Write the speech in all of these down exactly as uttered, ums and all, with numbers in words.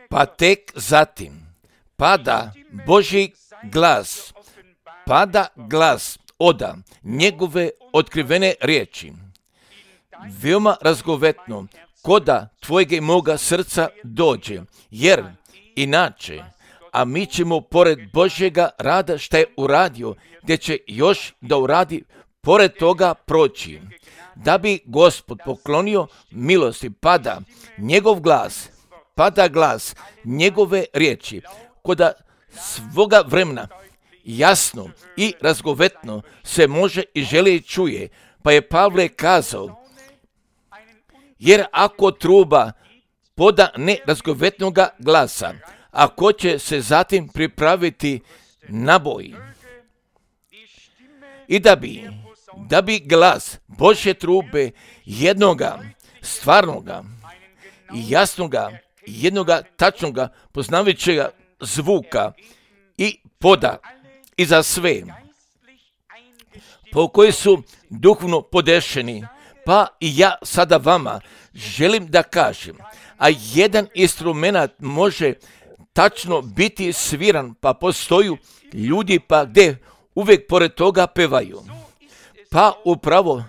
Pa tek zatim pada Božji glas, pada glas oda njegove otkrivene riječi, veoma razgovetno, koda tvojega i moga srca dođe, jer inače, a mi ćemo pored Božjega rada šta je uradio, gdje će još da uradi, pored toga proći. Da bi Gospod poklonio milosti, pada njegov glas, pada glas njegove riječi, koda svoga vremena jasno i razgovetno se može i želi i čuje. Pa je Pavle kazao, jer ako truba poda nerazgovetnoga glasa, ako će se zatim pripraviti naboj, i da bi, da bi glas Božje trube jednoga stvarnoga i jasnoga, jednoga tačnoga poznavajućega zvuka i poda i za sve, po koji su duhovno podešeni, pa i ja sada vama želim da kažem, a jedan instrument može tačno biti sviran, pa postoju ljudi pa gdje uvijek pored toga pevaju. Pa upravo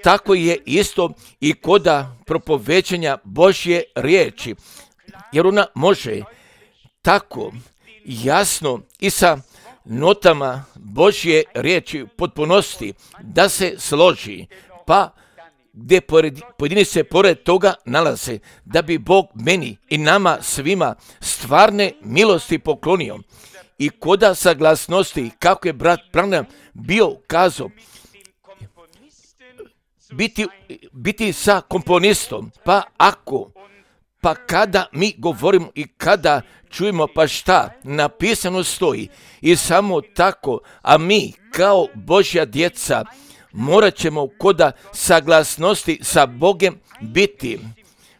tako je isto i koda propovećanja Božje riječi, jer ona može tako jasno i sa notama Božje riječi potpunosti da se složi, pa gdje pojedini se pored toga nalaze, da bi Bog meni i nama svima stvarne milosti poklonio. I koda saglasnosti, kako je brat Branham bio kazao, biti, biti sa komponistom, pa ako, pa kada mi govorimo i kada čujemo pa šta napisano stoji i samo tako, a mi kao Božja djeca morat ćemo koda saglasnosti sa Bogem biti,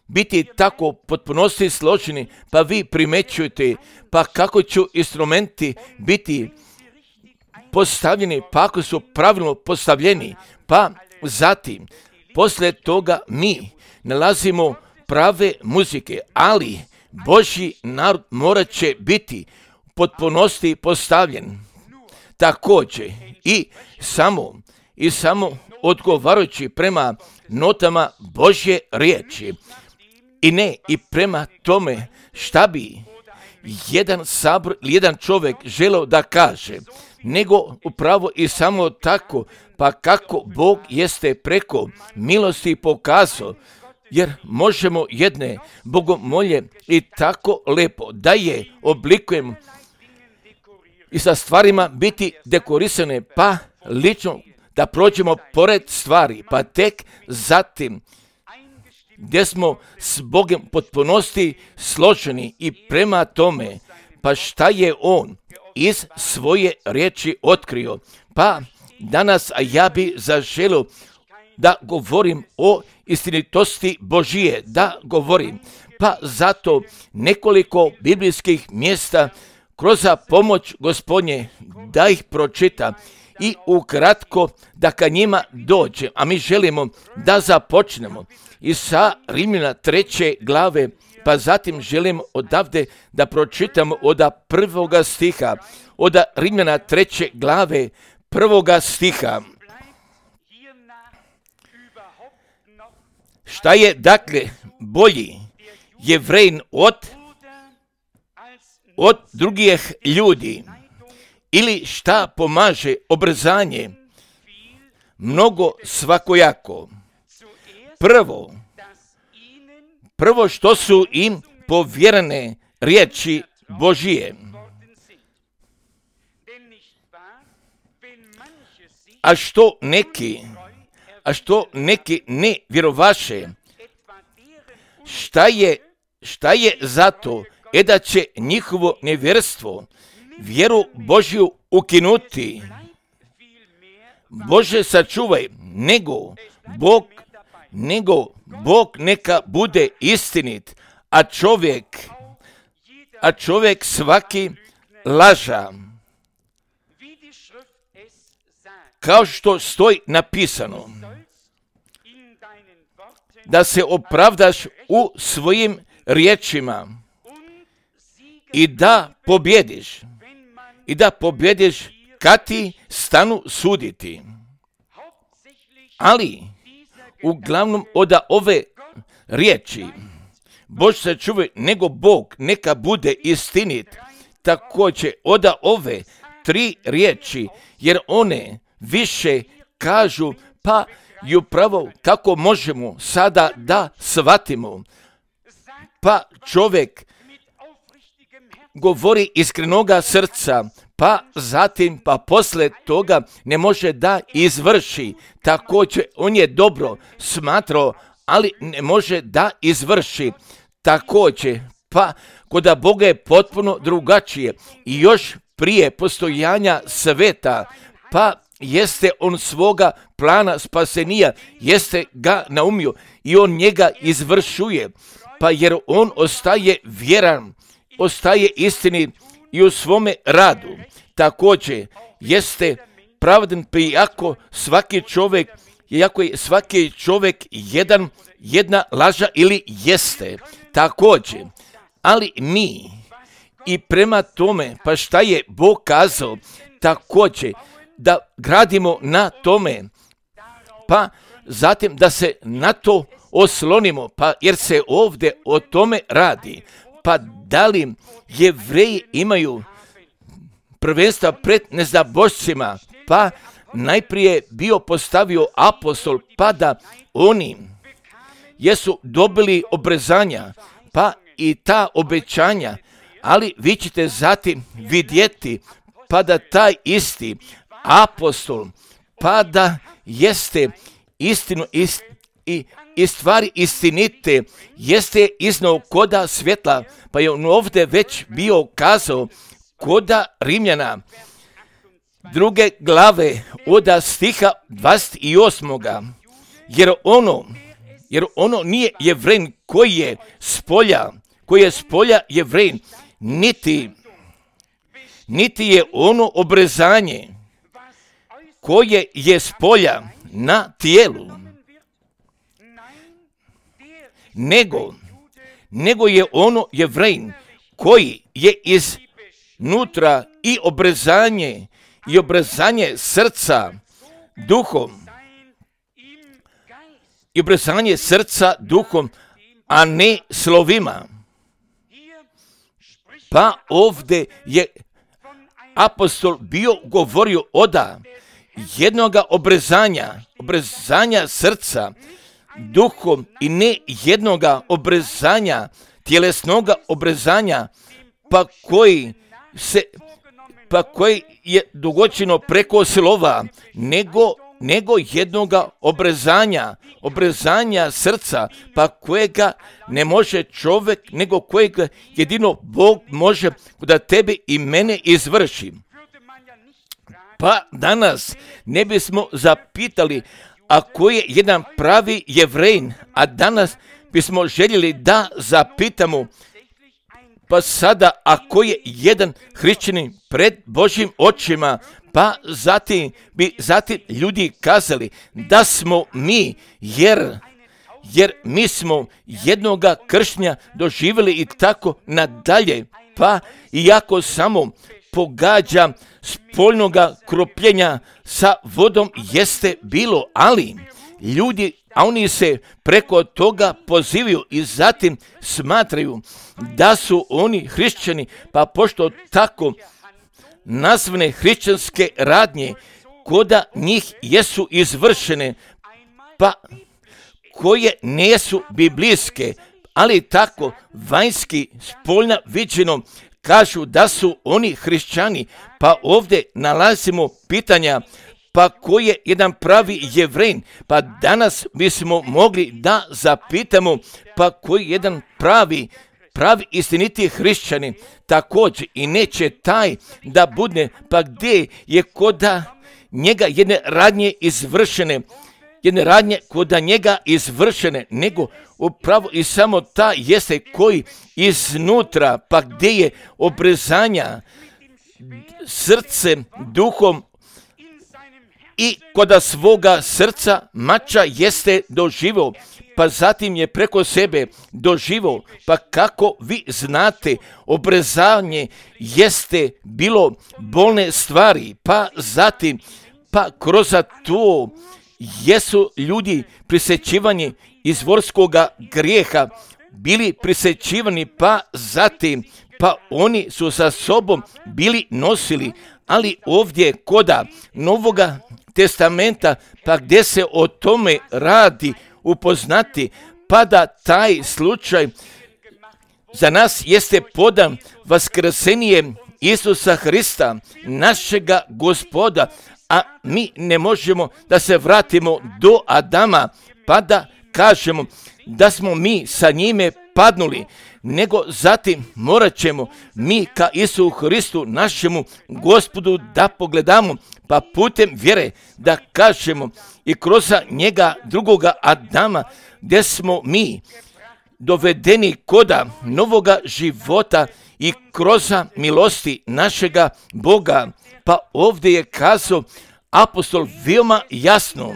biti tako potpunosti složeni, pa vi primećujete, pa kako će instrumenti biti postavljeni, pa ako su pravilno postavljeni, pa zatim, poslije toga mi nalazimo prave muzike, ali Božji narod morat će biti potpunosti postavljen. Također i samo i samo odgovarajući prema notama Božje riječi i ne i prema tome šta bi jedan sabor ili jedan čovjek želeo da kaže, nego upravo i samo tako, pa kako Bog jeste preko milosti pokazao, jer možemo jedne bogomolje i tako lepo da je oblikujemo i sa stvarima biti dekorisane, pa lično da prođemo pored stvari, pa tek zatim gdje smo s Bogom potpunosti složeni i prema tome, pa šta je On iz svoje riječi otkrio. Pa danas a ja bi zaželio da govorim o istinitosti Božije, da govorim, pa zato nekoliko biblijskih mjesta kroz pomoć Gospodnje da ih pročita i ukratko da ka njima dođe, a mi želimo da započnemo i sa Rimljana treće glave, pa zatim želim odavde da pročitamo od prvoga stiha, od Rimljana treće glave prvoga stiha. Šta je dakle bolji Jevrejin od, od drugih ljudi? Ili šta pomaže obrzanje? Mnogo svakojako. Prvo, prvo što su im povjerene riječi Božije. A što neki, a što neki ne vjerovaše, šta je, šta je zato, e da će njihovo nevjerstvo vjeru Božju ukinuti. Bože sačuvaj, nego Bog, nego Bog neka bude istinit, a čovjek, a čovjek svaki laža. Kao što stoji napisano, da se opravdaš u svojim riječima i da pobjediš, i da pobjediš kad ti stanu suditi. Ali, uglavnom od ove riječi, Bož se čuvaj, nego Bog neka bude istinit, također od ove tri riječi, jer one više kažu, pa i upravo kako možemo sada da shvatimo. Pa čovjek govori iskrenoga srca, pa zatim, pa posle toga ne može da izvrši. Također, on je dobro smatrao, ali ne može da izvrši. Također, pa kod Boga je potpuno drugačije i još prije postojanja sveta, pa jeste on svoga plana spasenija, jeste ga naumio i on njega izvršuje, pa jer on ostaje vjeran, ostaje istini i u svome radu. Također jeste pravedan, pa iako svaki čovjek, iako je svaki čovjek jedan, jedna laža ili jeste. Također, ali mi i prema tome, pa šta je Bog kazao, također da gradimo na tome, pa zatim da se na to oslonimo, pa jer se ovdje o tome radi. Pa da li Jevreji imaju prvenstva pred neznabošcima, pa najprije bio postavio apostol, pa da oni jesu dobili obrezanja, pa i ta obećanja, ali vi ćete zatim vidjeti, pa da taj isti apostol, pa da jeste istinu ist, i, i stvari istinite, jeste iznao koda svjetla, pa je on ovdje već bio kazao koda Rimljana, druge glave od stiha dvadeset osam. Jer ono, jer ono nije Jevrej koji je spolja, koji je spolja Jevrej, niti, niti je ono obrezanje koje je spolja na tijelu, nego, nego je ono Jevrej koji je iznutra i obrezanje, i obrezanje srca duhom, i obrezanje srca duhom, a ne slovima. Pa ovdje je apostol bio govorio oda jednoga obrezanja, obrezanja srca duhom i ne jednoga obrezanja, tjelesnoga obrezanja, pa koji se, pa koji je dogočeno preko slova, nego, nego jednoga obrezanja, obrezanja srca, pa kojega ne može čovjek, nego kojega jedino Bog može da tebe i mene izvrši. Pa danas ne bismo zapitali, a koji je jedan pravi Jevrej, a danas bismo željeli da zapitamo, pa sada ako je jedan hrišćanin pred Božjim očima, pa zatim bi zatim ljudi kazali da smo mi, jer, jer mi smo jednoga kršnja doživjeli i tako nadalje, pa iako samo pogađa spoljnoga kropljenja sa vodom jeste bilo, ali ljudi, a oni se preko toga pozivaju i zatim smatraju da su oni hrišćani, pa pošto tako nazvane hrišćanske radnje koda njih jesu izvršene, pa koje nisu biblijske, ali tako vanjski spoljno viđeno kažu da su oni hrišćani, pa ovdje nalazimo pitanja, pa ko je jedan pravi Jevrej, pa danas bismo mogli da zapitamo, pa koji je jedan pravi, pravi istiniti hrišćanin, također i neće taj da bude, pa gdje je koda njega jedne radnje izvršene, jedne radnje koda njega izvršene, nego upravo i samo ta jeste koji iznutra, pa gdje je obrezanja srcem, duhom i koda svoga srca mača jeste doživo, pa zatim je preko sebe doživo, pa kako vi znate, obrezanje jeste bilo bolne stvari, pa zatim, pa kroz to jesu ljudi prisjećivani izvorskoga grijeha, bili prisjećivani, pa zatim, pa oni su sa sobom bili nosili, ali ovdje koda Novoga testamenta, pa gdje se o tome radi upoznati, pa da taj slučaj za nas jeste podan vaskrsenje Isusa Hrista, našega Gospoda, a mi ne možemo da se vratimo do Adama, pa da kažemo da smo mi sa njime padnuli, nego zatim morat ćemo mi ka Isusu Hristu, našemu Gospodu, da pogledamo, pa putem vjere da kažemo i kroz njega drugoga Adama, gdje smo mi dovedeni koda novoga života i kroz milosti našega Boga. Pa ovdje je kazao apostol veoma jasno,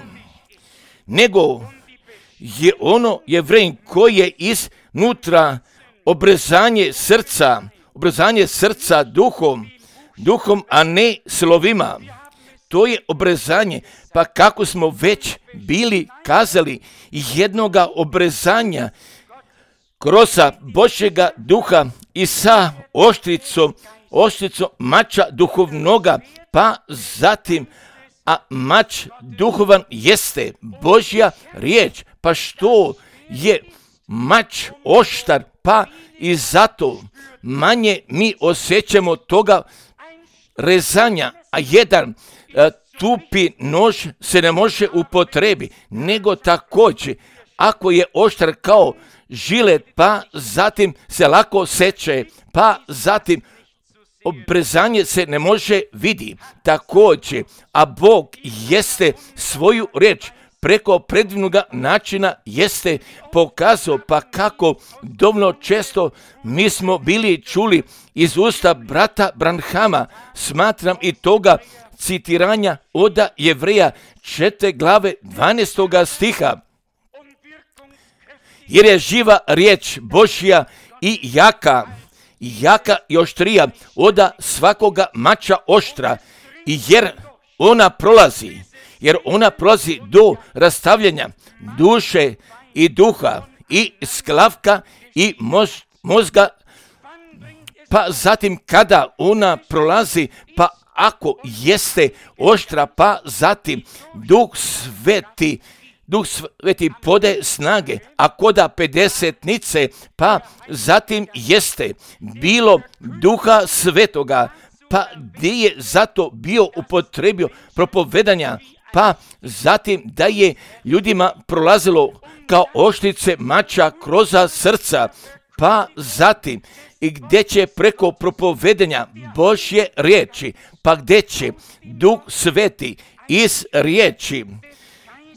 nego je ono Jevrejin koji je iznutra obrezanje srca, obrezanje srca duhom, duhom, a ne slovima. To je obrezanje, pa kako smo već bili kazali, jednoga obrezanja kroz Božjega duha i sa oštricom, oštricom mača duhovnoga, pa zatim, a mač duhovan jeste Božja riječ, pa što je mač oštar, pa i zato manje mi osjećamo toga rezanja, a jedan a, tupi nož se ne može upotrebi, nego također ako je oštar kao žilet, pa zatim se lako seče, pa zatim obrezanje se ne može vidi. Također, a Bog jeste svoju riječ preko predivnoga načina jeste pokazao, pa kako dovoljno često mi smo bili čuli iz usta brata Branhama, smatram i toga citiranja od Jevreja četvrte glave dvanaestoga stiha. Jer je živa riječ Božja i jaka, jaka i oštrija od svakoga mača oštra, i jer ona prolazi, jer ona prolazi do rastavljanja duše i duha i sklavka i mož, mozga, pa zatim kada ona prolazi, pa ako jeste oštra, pa zatim Duh Sveti, Duh Sveti pode snage, a koda pedesetnice, pa zatim jeste bilo Duha Svetoga, pa gdje je zato bio upotrebio propovedanja, pa zatim da je ljudima prolazilo kao oštrice mača kroz srca, pa zatim i gdje će preko propovedanja Božje riječi, pa gdje će Duh Sveti iz riječi,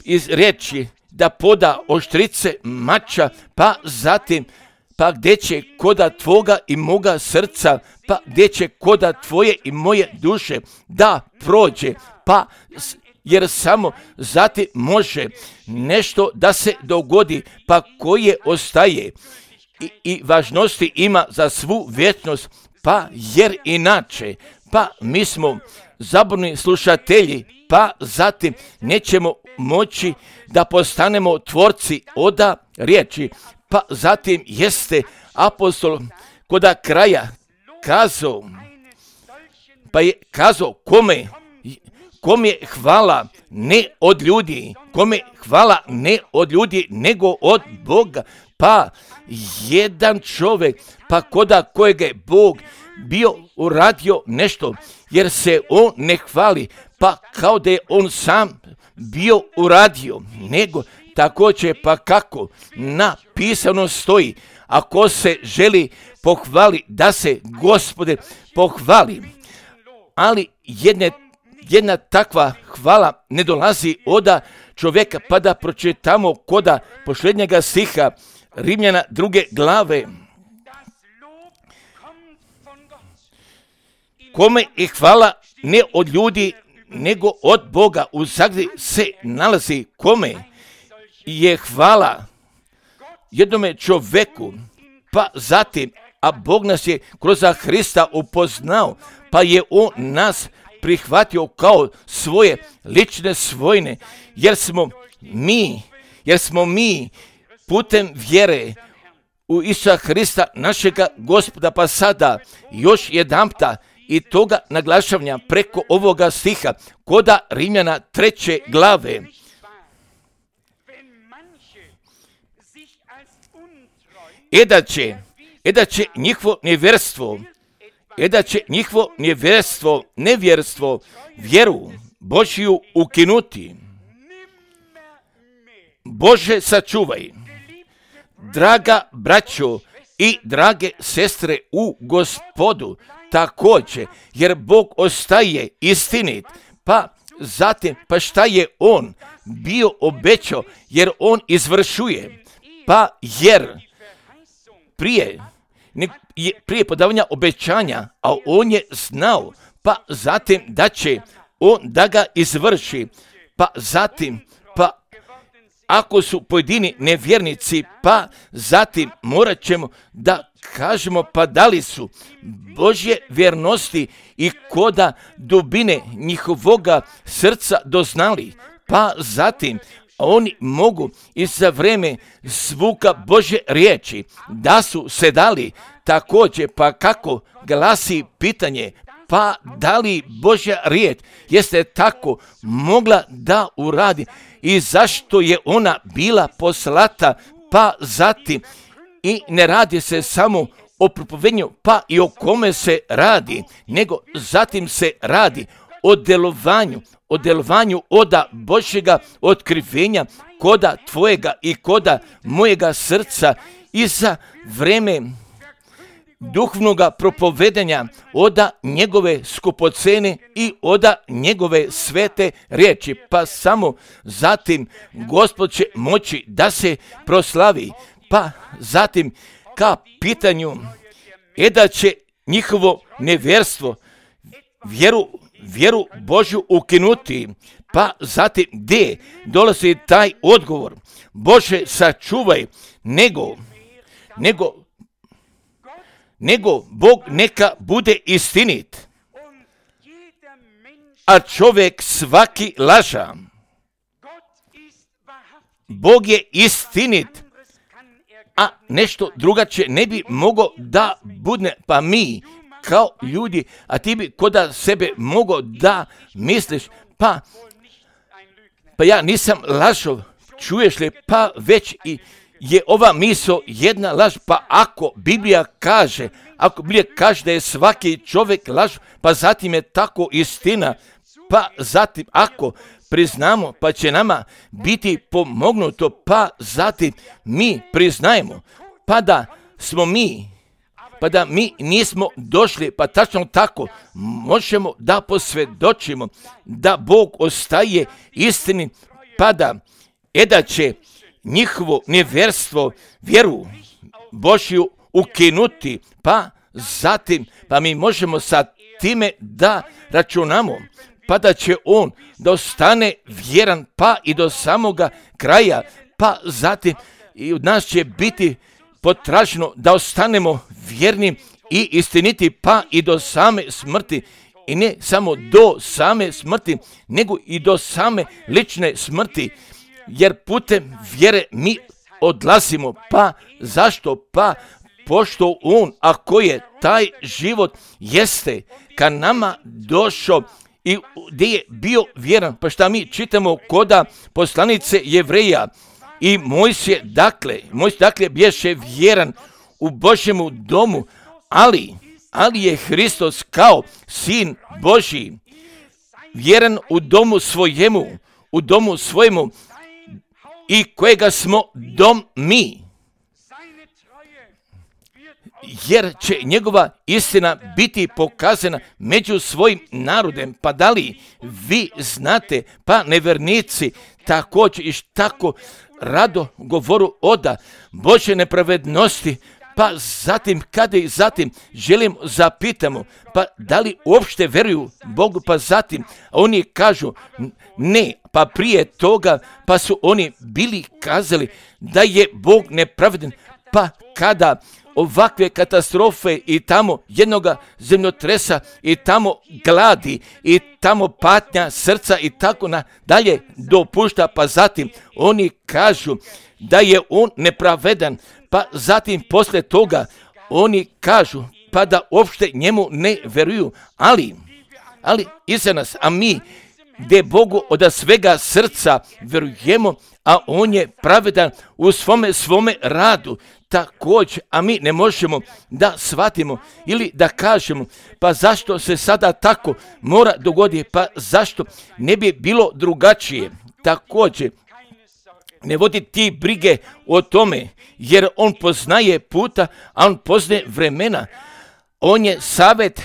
iz riječi da poda oštrice mača, pa zatim pa gdje će koda tvoga i moga srca, pa gdje će koda tvoje i moje duše da prođe, pa jer samo zatim može nešto da se dogodi, pa koje ostaje i, i važnosti ima za svu vječnost, pa jer inače, pa mi smo zaborni slušatelji, pa zatim nećemo moći da postanemo tvorci oda riječi. Pa zatim jeste apostol koda kraja kazao, pa je kazao kome, kome hvala ne od ljudi, kome hvala ne od ljudi, nego od Boga. Pa jedan čovjek, pa koda kojeg je Bog bio uradio nešto, jer se on ne hvali, pa kao da je on sam bio uradio, nego također pa kako napisano stoji, ako se želi pohvali, da se Gospode pohvali. Ali jedne, jedna takva hvala ne dolazi od čovjeka, pa da pročitamo koda posljednjega stiha Rimljana druge glave. Kome je hvala ne od ljudi, nego od Boga u zagradi se nalazi kome je hvala jednome čovjeku, pa zatim, a Bog nas je kroz Hrista upoznao, pa je on nas prihvatio kao svoje lične svojine, jer smo mi, jer smo mi putem vjere u Isusa Hrista, našega Gospoda. Pa sada još jedanputa i toga naglašavanja preko ovoga stiha koda Rimljana treće glave. E da će, e da će njihovo nevjerstvo, e da će njihovo nevjerstvo, nevjerstvo, vjeru Božju ukinuti. Bože, sačuvaj, draga braćo i drage sestre u Gospodu, također, jer Bog ostaje istinit, pa zatim, pa šta je On bio obećao, jer On izvršuje, pa jer prije, prije podavanja obećanja, a On je znao, pa zatim da će On da ga izvrši, pa zatim, pa ako su pojedini nevjernici, pa zatim morat ćemo da kažemo pa da li su Božje vjernosti i koda dubine njihovoga srca doznali, pa zatim oni mogu i za vreme zvuka Božje riječi da su se dali također, pa kako glasi pitanje, pa da li Božja riječ jeste tako mogla da uradi i zašto je ona bila poslata, pa zatim i ne radi se samo o propovednju, pa i o kome se radi, nego zatim se radi o delovanju, o delovanju oda Božjega otkrivenja koda tvojega i koda mojega srca i za vreme duhovnoga propovedanja oda njegove skupocene i oda njegove svete riječi, pa samo zatim Gospod će moći da se proslavi, pa zatim ka pitanju je da će njihovo nevjerstvo vjeru, vjeru Božju ukinuti, pa zatim gdje dolazi taj odgovor, Bože sačuvaj, nego, nego nego Bog neka bude istinit, a čovjek svaki laža. Bog je istinit, a nešto drugačije ne bi mogo da budne, pa mi kao ljudi, a ti bi koda sebe mogo da misliš, pa, pa ja nisam lažov, čuješ li, pa već i je ova misao jedna laž, pa ako Biblija kaže, ako Biblija kaže da je svaki čovjek laž, pa zatim je tako istina, pa zatim ako priznamo, pa će nama biti pomognuto, pa zatim mi priznajemo, pa da smo mi, pa da mi nismo došli, pa tačno tako možemo da posvjedočimo da Bog ostaje istini, pa da je da će njihovo nevjerstvo vjeru Božju ukinuti, pa zatim, pa mi možemo sa time da računamo, pa da će on da ostane vjeran, pa i do samoga kraja, pa zatim i od nas će biti potraženo da ostanemo vjerni i istiniti, pa i do same smrti, i ne samo do same smrti, nego i do same lične smrti, jer putem vjere mi odlazimo, pa zašto? Pa pošto on, ako je taj život jeste ka nama došao i gdje je bio vjeran, pa šta mi čitamo koda poslanice Jevreja, i Mojsije, dakle, Mojsije, dakle, bješe vjeran u Božjemu domu, ali, ali je Hristos kao sin Božji vjeran u domu svojemu, u domu svojemu, i kojega smo dom mi, jer će njegova istina biti pokazana među svojim narodem. Pa da li vi znate, pa nevernici također i tako rado govoru oda Božje nepravednosti, Pa zatim, kada i zatim želim zapitamo, pa da li uopšte veruju Bogu, pa zatim oni kažu ne, pa prije toga, pa su oni bili kazali da je Bog nepravedan, pa kada ovakve katastrofe i tamo jednoga zemljotresa i tamo gladi i tamo patnja srca i tako na dalje dopušta, pa zatim oni kažu da je on nepravedan, pa zatim posle toga oni kažu pa da uopšte njemu ne veruju, ali, ali iza nas, a mi gdje Bogu od svega srca verujemo, a on je pravedan u svome svome radu, također, a mi ne možemo da shvatimo ili da kažemo, pa zašto se sada tako mora dogoditi, pa zašto ne bi bilo drugačije. Također, ne vodi ti brige o tome, jer on poznaje puta, a on poznaje vremena. On je savjet,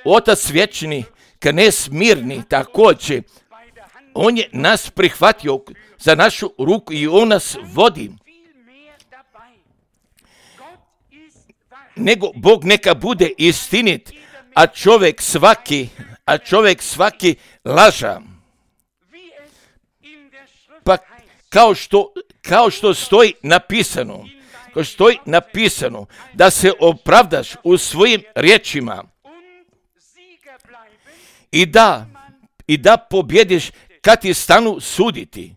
Otac vječni, knez mirni, također. On je nas prihvatio za našu ruku i on nas vodi. Nego Bog neka bude istinit, a čovjek svaki, a čovjek svaki laža. Pa kao što, kao što stoji napisano, kao što stoji napisano, da se opravdaš u svojim riječima i da, i da pobjediš kad ti stanu suditi.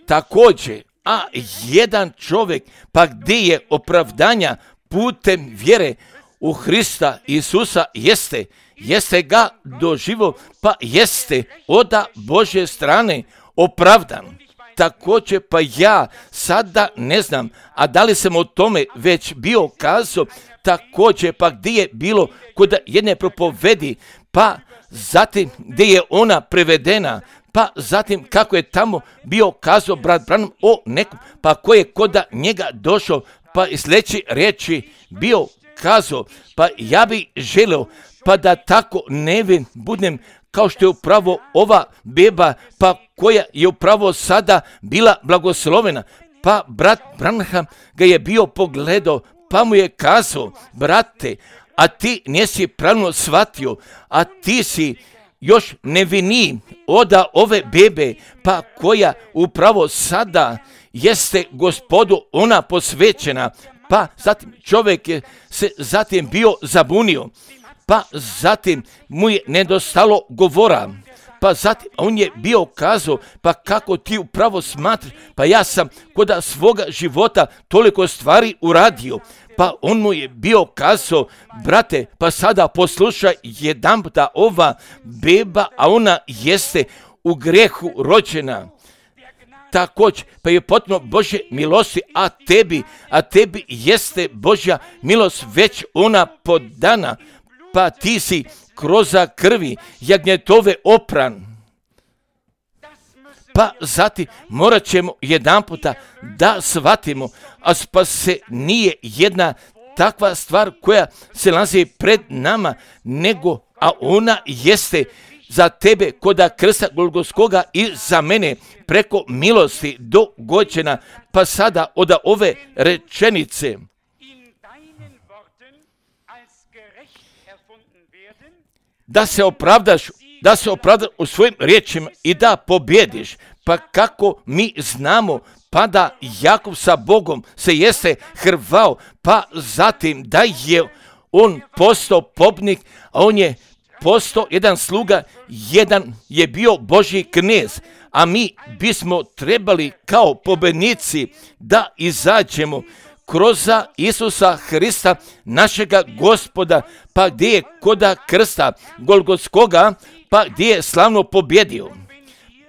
Također, a jedan čovjek, pa gdje je opravdanja putem vjere u Hrista Isusa, jeste, jeste ga doživo, pa jeste od Božje strane opravdan. Također, pa ja sada ne znam, a da li sam o tome već bio kazao, također, pa gdje je bilo kod jedne propovedi, pa zatim gdje je ona prevedena, pa zatim kako je tamo bio kazao brat Branham o nekom, pa ko je kod njega došao, pa iz sljedeće riječi bio kazao, pa ja bi želio, pa da tako nevin budem kao što je upravo ova beba, pa koja je upravo sada bila blagoslovena. Pa brat Branham ga je bio pogledao, pa mu je kazao, brate, a ti nisi pravilno shvatio, a ti si još neviniji od ove bebe, pa koja upravo sada jeste Gospodu ona posvećena. Pa zatim čovjek je se zatim bio zabunio, pa zatim mu je nedostalo govora, pa zatim on je bio kazao, pa kako ti upravo smatraš, pa ja sam kod svoga života toliko stvari uradio. Pa on mu je bio kazao, brate, pa sada poslušaj jedanputa, ova beba, a ona jeste u grehu rođena. Također, pa je potpuno Božje milosti, a tebi, a tebi jeste Božja milost već ona podana, pa ti si kroz krvi jagnjetove opran. Pa zatim morat ćemo jedan puta da shvatimo, a pa se nije jedna takva stvar koja se nalazi pred nama, nego, a ona jeste za tebe kod krsta Golgotskoga i za mene preko milosti dogođena. Pa sada od ove rečenice, da se opravdaš, da se opravdaš u svojim riječima i da pobjediš. Pa kako mi znamo, pa da Jakov sa Bogom se jeste hrvao, pa zatim da je on postao pobnik, a on je postao jedan sluga, jedan je bio Božji knez, a mi bismo trebali kao pobednici da izađemo kroz Isusa Hrista, našega Gospoda, pa gdje je kod krsta Golgotskoga, pa gdje je slavno pobjedio.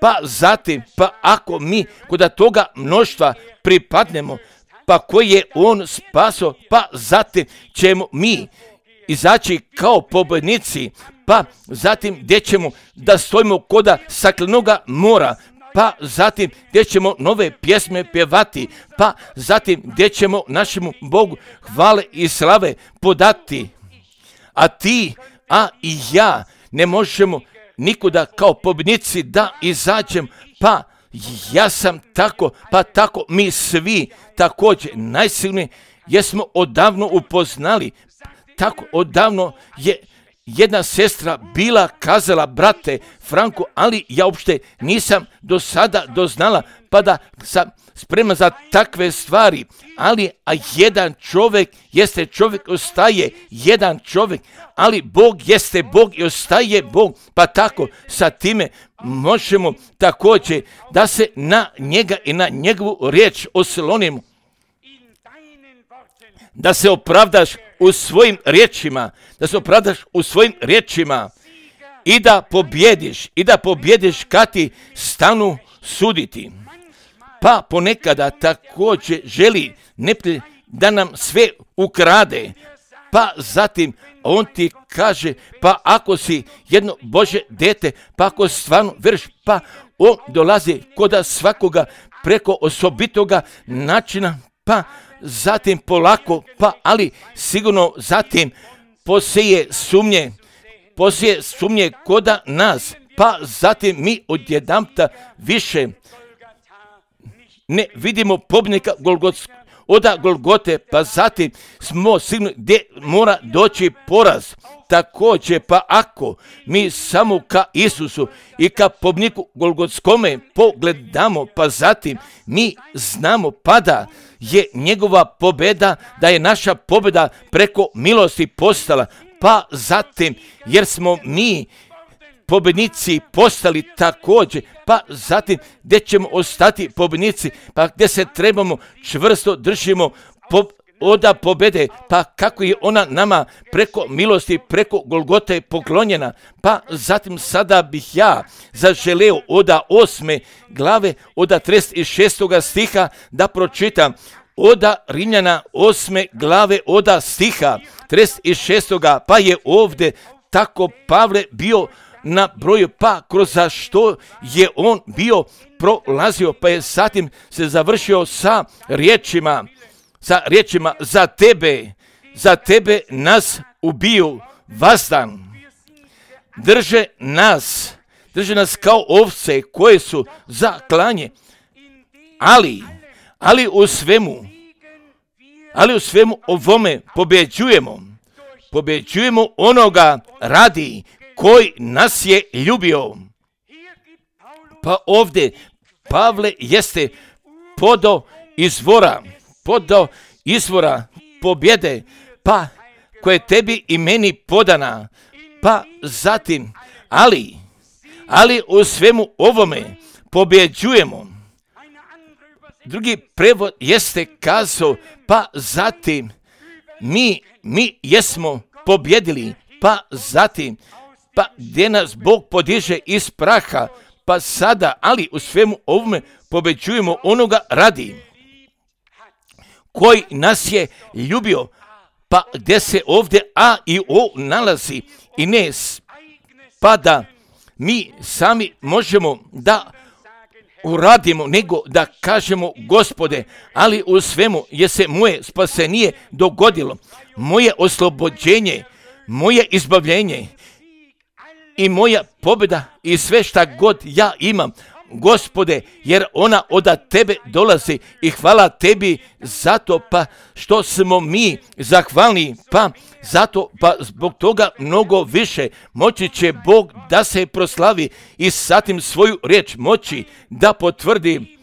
Pa zatim, pa ako mi kod toga mnoštva pripadnemo, pa koji je on spaso, pa zatim ćemo mi izaći kao pobjednici, pa zatim gdje ćemo da stojimo kod staklenoga mora, pa zatim gdje ćemo nove pjesme pjevati, pa zatim gdje ćemo našemu Bogu hvale i slave podati. A ti, a i ja ne možemo nikuda kao pobjednici da izađem, pa ja sam tako, pa tako mi svi također najsilniji jesmo odavno upoznali. Tako odavno je jedna sestra bila kazala, brate Franko, ali ja uopšte nisam do sada doznala, pa da sam spreman za takve stvari. Ali a jedan čovjek jeste čovjek, ostaje jedan čovjek, ali Bog jeste Bog i ostaje Bog, pa tako sa time možemo također da se na njega i na njegovu riječ oslonimo. Da se opravdaš u svojim riječima, da se opravdaš u svojim riječima i da pobjediš, i da pobjediš kad ti stanu suditi. Pa ponekada također želi neprijatelj da nam sve ukrade, pa zatim on ti kaže, pa ako si jedno Božje dete, pa ako stvarno vjeruješ, pa on dolazi kod svakoga preko osobitoga načina, pa zatim polako, pa ali sigurno zatim posije sumnje, posije sumnje koda nas, pa zatim mi odjedanputa više ne vidimo pobjednika Golgotskog, oda Golgote, pa zatim smo sigurni gdje mora doći poraz. Također, pa ako mi samo ka Isusu i ka pobjedniku Golgotskome pogledamo, pa zatim mi znamo pa da je njegova pobjeda, da je naša pobjeda preko milosti postala, pa zatim jer smo mi pobjednici postali također, pa zatim gdje ćemo ostati pobjednici, pa gdje se trebamo čvrsto držimo po, oda pobjede, pa kako je ona nama preko milosti, preko Golgote poklonjena, pa zatim sada bih ja zaželeo oda osme glave, oda trideset šestoga stiha da pročitam, oda Rimljana osme glave, oda stiha trideset šestoga, pa je ovdje tako Pavle bio na broju, pa kroz za što je on bio prolazio, pa je zatim se završio sa riječima, sa riječima za tebe, za tebe nas ubiju vazdan. Drže nas, drže nas kao ovce koje su za klanje, ali, ali u svemu, ali u svemu ovome pobjeđujemo, pobjeđujemo onoga radi koji nas je ljubio. Pa ovdje Pavle jeste podo izvora, podo izvora pobjede, pa koje tebi i meni podana, pa zatim, ali, ali u svemu ovome pobjeđujemo. Drugi prevod jeste kazao, pa zatim mi, mi jesmo pobjedili, pa zatim, pa gdje nas Bog podiže iz praha, pa sada, ali u svemu ovome pobjeđujemo onoga radi koji nas je ljubio, pa gdje se ovdje A i O nalazi i ne pa da mi sami možemo da uradimo, nego da kažemo Gospode, ali u svemu je se moje spasenije dogodilo, moje oslobođenje, moje izbavljenje i moja pobjeda i sve šta god ja imam, Gospode, jer ona od tebe dolazi i hvala tebi zato pa što smo mi zahvalni, pa zato pa zbog toga mnogo više moći će Bog da se proslavi i zatim svoju riječ moći da potvrdi,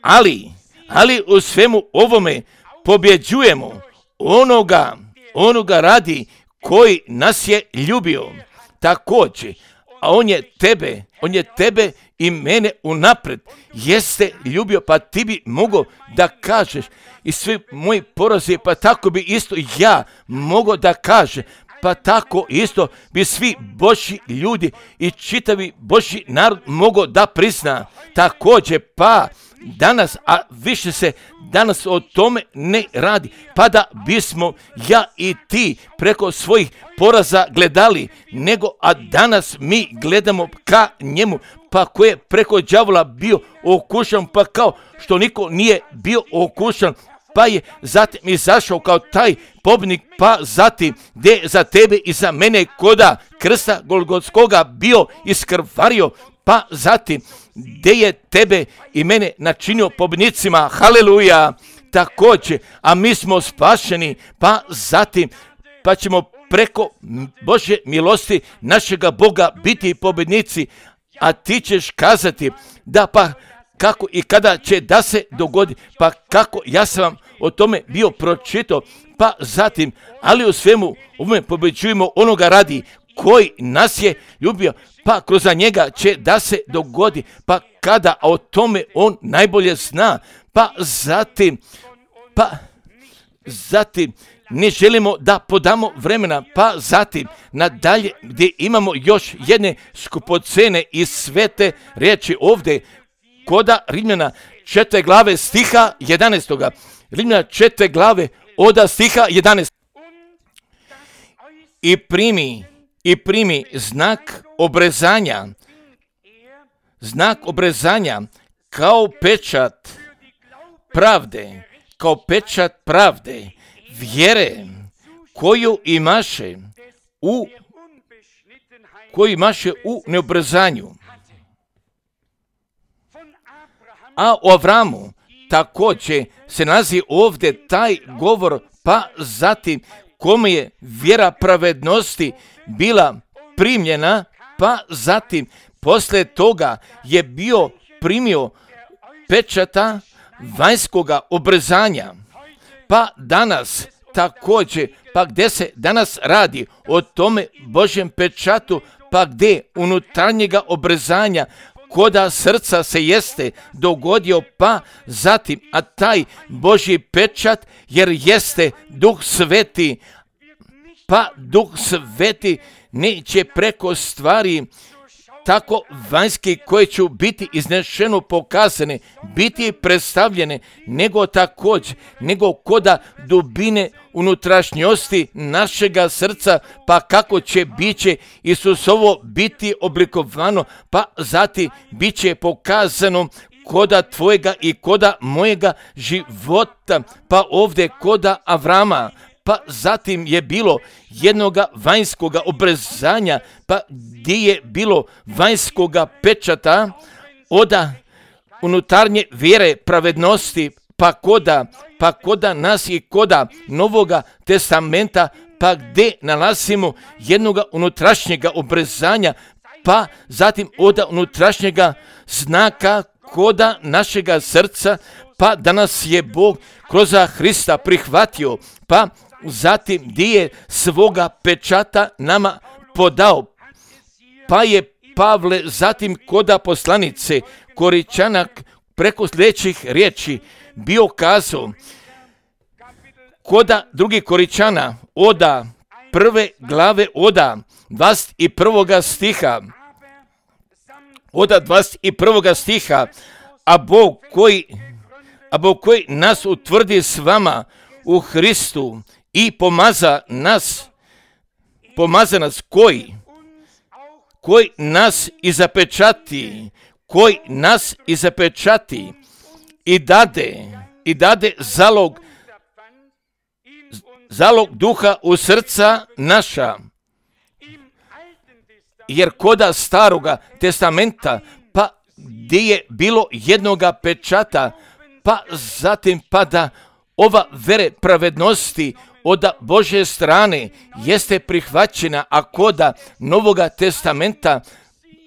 ali, ali u svemu ovome pobjeđujemo onoga, onoga radi koji nas je ljubio. Također, a on je tebe, on je tebe i mene unaprijed jeste ljubio, pa ti bi mogao da kažeš i svi moji porazi, pa tako bi isto ja mogao da kaže, pa tako isto bi svi Božji ljudi i čitavi Božji narod mogao da prizna. Također, pa danas, a više se danas o tome ne radi, pa da bismo ja i ti preko svojih poraza gledali, nego a danas mi gledamo ka njemu, pa ko je preko đavola bio okušan, pa kao što niko nije bio okušan, pa je zatim izašao kao taj pobjednik, pa zatim gdje za tebe i za mene koda krsta Golgotskoga bio iskrvario, pa zatim gdje je tebe i mene načinio pobjednicima, haleluja, također, a mi smo spašeni, pa zatim, pa ćemo preko Božje milosti našega Boga biti pobjednici, a ti ćeš kazati da pa kako i kada će da se dogodi, pa kako, ja sam vam o tome bio pročitao, pa zatim, ali u svemu ovome pobjeđujemo onoga radi koji nas je ljubio, pa kroz njega će da se dogodi, pa kada, a o tome on najbolje zna, pa zatim, pa zatim, ne želimo da podamo vremena, pa zatim nadalje gdje imamo još jedne skupocene i svete riječi ovdje, koda Rimljana četvrte glave stiha jedanaestoga. Rimljana četvrte glave oda stiha jedanaestoga. I primi, i primi znak obrezanja, znak obrezanja kao pečat pravde, kao pečat pravde, vjere koju imaše u koju imaše u neobrezanju. A o Avramu također se nalazi ovdje taj govor, pa zatim kome je vjera pravednosti bila primljena, pa zatim poslije toga je bio primio pečata vanjskoga obrezanja. Pa danas također, pa gdje se danas radi o tome Božjem pečatu, pa gdje unutarnjega obrezanja koda srca se jeste dogodio, pa zatim, a taj Božji pečat, jer jeste Duh Sveti, pa Duh Sveti neće preko stvari tako vanjski koje će biti iznešeno pokazane, biti predstavljene, nego također, nego koda dubine unutrašnjosti našega srca, pa kako će biće Isusovo biti oblikovano, pa zatim bit će pokazano koda tvojega i koda mojega života, pa ovdje koda Avrama, pa zatim je bilo jednoga vanjskoga obrezanja, pa gdje je bilo vanjskoga pečata oda unutarnje vjere pravednosti, pa koda, pa koda nas i koda Novoga testamenta, pa gdje nalazimo jednoga unutrašnjega obrezanja, pa zatim oda unutrašnjega znaka koda našega srca, pa da nas je Bog kroz Hrista prihvatio, pa zatim gdje je svoga pečata nama podao, pa je Pavle zatim koda poslanice Koričana preko sljedećih riječi bio kazao, koda drugi Koričana oda prve glave oda dvadeset prvoga stiha, oda dvadeset prvoga stiha, a Bog koji, a Bog koji nas utvrdi s vama u Hristu i pomaza nas, pomaza nas koji, koji nas i zapečati, koji nas i zapečati i dade, i dade zalog, zalog duha u srca naša. Jer koda staroga testamenta, pa gdje je bilo jednoga pečata, pa zatim pa da ova vere pravednosti od Božje strane jeste prihvaćena, a koda Novoga testamenta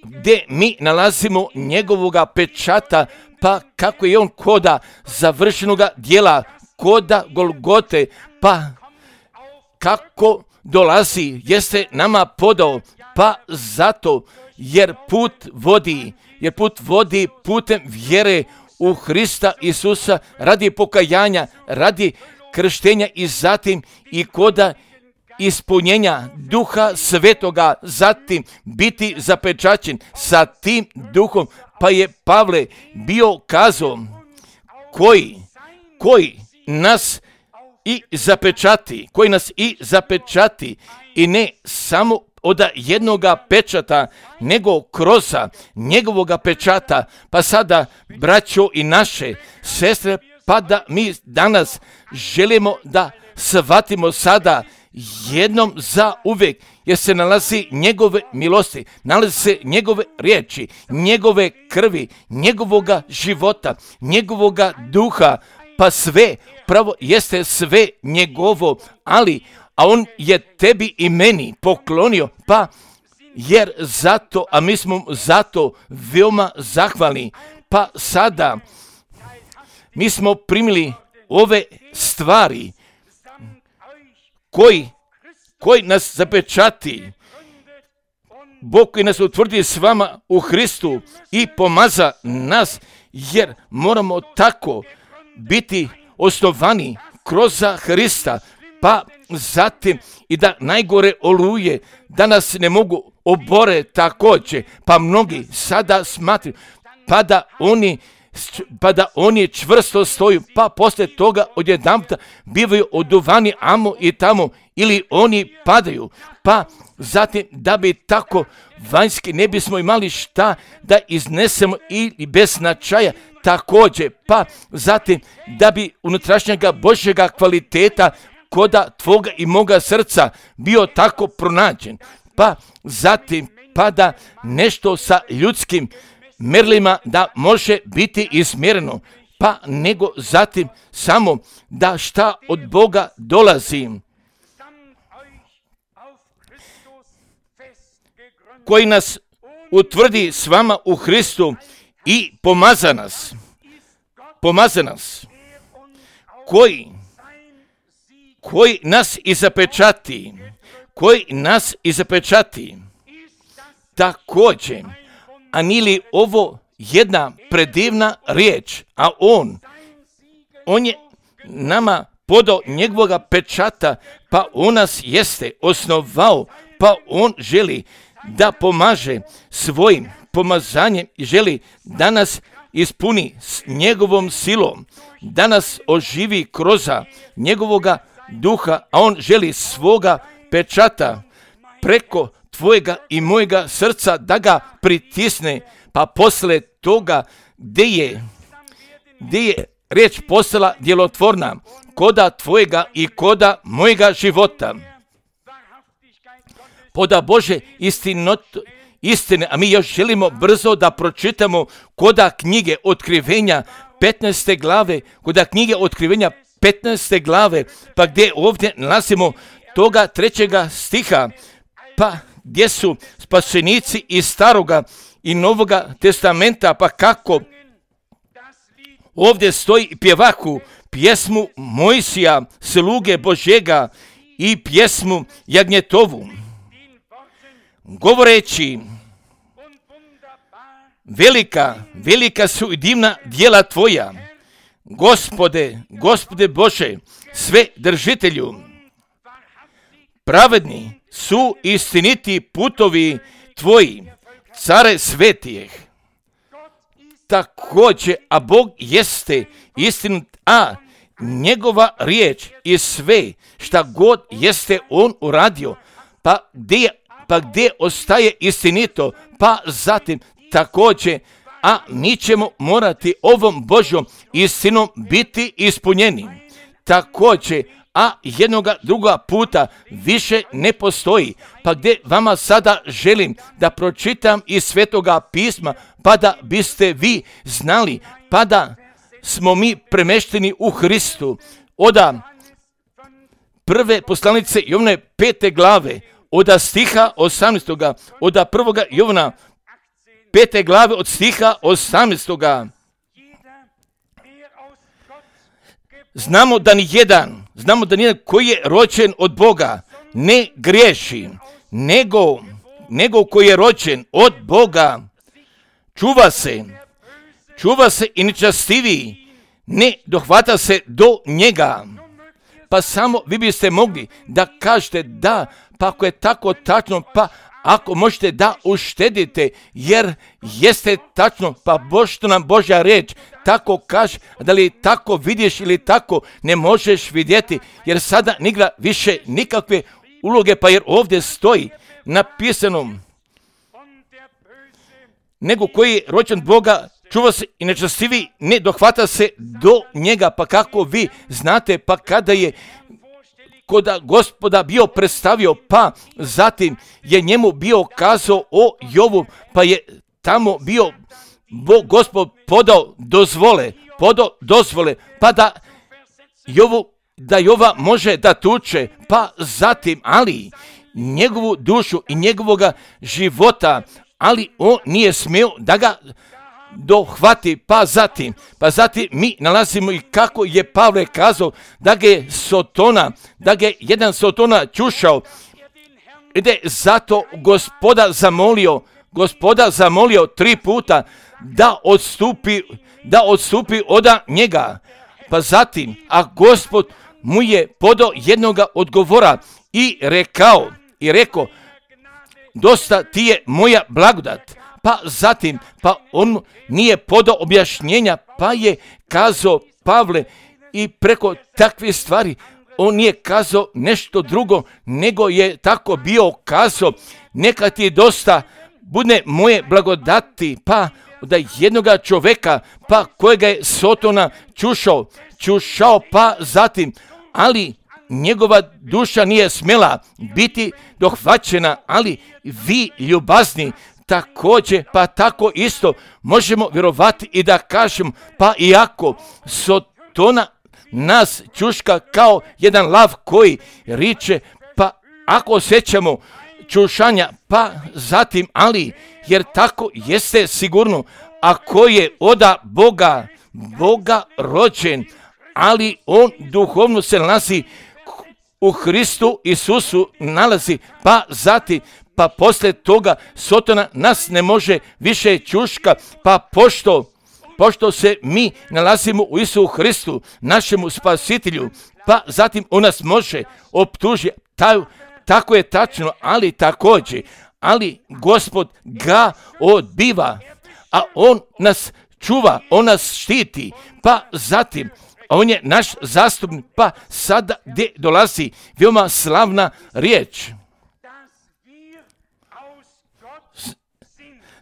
gdje mi nalazimo njegovoga pečata, pa kako je on koda završenoga dijela, koda Golgote, pa kako dolazi, jeste nama podao, pa zato jer put vodi, jer put vodi putem vjere u Hrista Isusa radi pokajanja, radi krštenja i zatim i koda ispunjenja Duha Svetoga, zatim biti zapečaćen sa tim Duhom, pa je Pavle bio kazao koji, koji nas i zapečati, koji nas i zapečati i ne samo od jednoga pečata, nego kroz njegovoga pečata. Pa sada, braćo i naše sestre, pa da mi danas želimo da shvatimo sada jednom za uvijek, jer se nalazi njegove milosti, nalazi se njegove riječi, njegove krvi, njegovoga života, njegovoga duha, pa sve, pravo jeste sve njegovo, ali, a on je tebi i meni poklonio, pa jer zato, a mi smo zato veoma zahvalni, pa sada mi smo primili ove stvari koji, koji nas zapečati, Bog koji nas utvrdi s vama u Hristu i pomaza nas, jer moramo tako biti osnovani kroz Hrista, pa zatim i da najgore oluje, da nas ne mogu obore također, pa mnogi sada smatruju, pa da oni pa da oni čvrsto stoju, pa poslije toga odjedanputa bivaju oduvani amo i tamo, ili oni padaju, pa zatim da bi tako vanjski ne bismo imali šta da iznesemo ili bez značaja također, pa zatim da bi unutrašnjega Božjega kvaliteta koda tvoga i moga srca bio tako pronađen, pa zatim pa da nešto sa ljudskim merlima da može biti izmjereno, pa nego zatim samo da šta od Boga dolazi, koji nas utvrdi s vama u Hristu i pomaza nas, pomaza nas, koji, koji nas i zapečati, koji nas i zapečati, također. A nije li ovo jedna predivna riječ, a on, on je nama podao njegovoga pečata, pa on nas jeste osnovao, pa on želi da pomaže svojim pomazanjem i želi da nas ispuni s njegovom silom, da nas oživi kroz njegovoga duha, a on želi svoga pečata preko tvojega i mojega srca da ga pritisne, pa posle toga gdje je, gdje je riječ postala djelotvorna koda tvojega i koda mojega života. Poda Bože istinot, istine, a mi još želimo brzo da pročitamo koda knjige Otkrivenja petnaeste glave, koda knjige Otkrivenja petnaeste glave, pa gdje ovdje nalazimo toga trećega stiha, pa gdje su spašenici iz Staroga i Novoga testamenta, pa kako ovdje stoji pjevaku pjesmu Mojsija, sluge Božjega, i pjesmu Jagnjetovu, govoreći: velika, velika su i divna djela tvoja, Gospode, Gospode Bože, sve držitelju. Pravedni su istiniti putovi tvoji, care svetijeh. Također, a Bog jeste istinit, a njegova riječ i sve šta god jeste on uradio, pa gdje, pa gdje ostaje istinito, pa zatim također, a mi ćemo morati ovom Božjom istinom biti ispunjeni. Također, a jednoga druga puta više ne postoji, pa gdje vama sada želim da pročitam iz Svetoga pisma, pa da biste vi znali, pa da smo mi premešteni u Hristu. Oda prve poslanice Jovane pete glave, oda stiha osamnaestoga, oda prvoga Jovana pete glave od stiha osamnaestoga. Znamo da ni jedan, znamo da nijedan koji je rođen od Boga ne griješi, nego, nego koji je rođen od Boga čuva se, čuva se i nečastiviji, ne dohvata se do njega. Pa samo vi biste mogli da kažete da, pa ako je tako tačno, pa ako možete da uštedite, jer jeste tačno, pa što nam Božja riječ tako kaže, da li tako vidiš ili tako ne možeš vidjeti, jer sada nigra više nikakve uloge, pa jer ovdje stoji napisano: nego koji je rođen Boga čuva se i nečastivi, ne dohvata se do njega. Pa kako vi znate, pa kada je koda Gospoda bio predstavio, pa zatim je njemu bio kazao o Jovu, pa je tamo bio Bog Gospod podao dozvole, podao dozvole, pa da Jovu, da Jova može da tuče, pa zatim, ali njegovu dušu i njegovoga života, ali on nije smio da ga dohvati, pa zatim, pa zatim mi nalazimo i kako je Pavle kazao da ga je Sotona, da ga je jedan Sotona čušao, ide zato Gospoda zamolio, Gospoda zamolio tri puta da odstupi, da odstupi od njega, pa zatim, a Gospod mu je podao jednoga odgovora i rekao, i rekao, dosta ti je moja blagodat. Pa zatim, pa on nije podao objašnjenja, pa je kazao Pavle i preko takve stvari, on nije kazao nešto drugo, nego je tako bio kazao, neka ti dosta bude moje blagodati, pa da jednoga čoveka, pa kojega je Sotona čušao, čušao, pa zatim, ali njegova duša nije smjela biti dohvaćena, ali vi ljubazni također, pa tako isto možemo vjerovati i da kažem, pa iako Sotona nas čuška kao jedan lav koji riče, pa ako osjećamo čušanja, pa zatim, ali jer tako jeste sigurno, ako je oda Boga, Boga rođen, ali on duhovno se nalazi u Hristu Isusu nalazi, pa zatim, pa poslije toga Sotona nas ne može više čuška, pa pošto, pošto se mi nalazimo u Isusu Hristu, našemu spasitelju, pa zatim on nas može optužiti, tako je tačno, ali također, ali Gospod ga odbiva, a on nas čuva, on nas štiti, pa zatim, on je naš zastupnik, pa sada gdje dolazi veoma slavna riječ.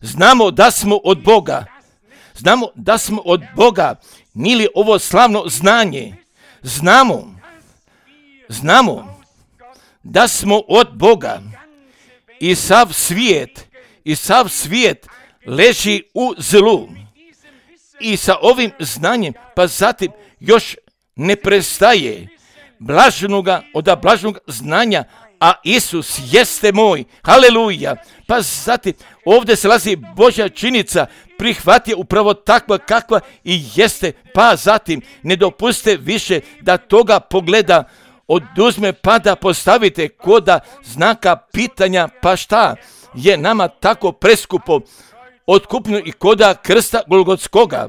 Znamo da smo od Boga, znamo da smo od Boga, nije li ovo slavno znanje? Znamo, znamo da smo od Boga i sav svijet, i sav svijet leži u zlu. I sa ovim znanjem, pa zatim još ne prestaje blaženoga od blaženog znanja, a Isus jeste moj, haleluja. Pa zatim ovdje se lazi Božja činica, prihvati upravo takva kakva i jeste, pa zatim ne dopuste više da toga pogleda oduzme, pa da postavite koda znaka pitanja, pa šta je nama tako preskupo otkupljeno i koda krsta Golgotskoga.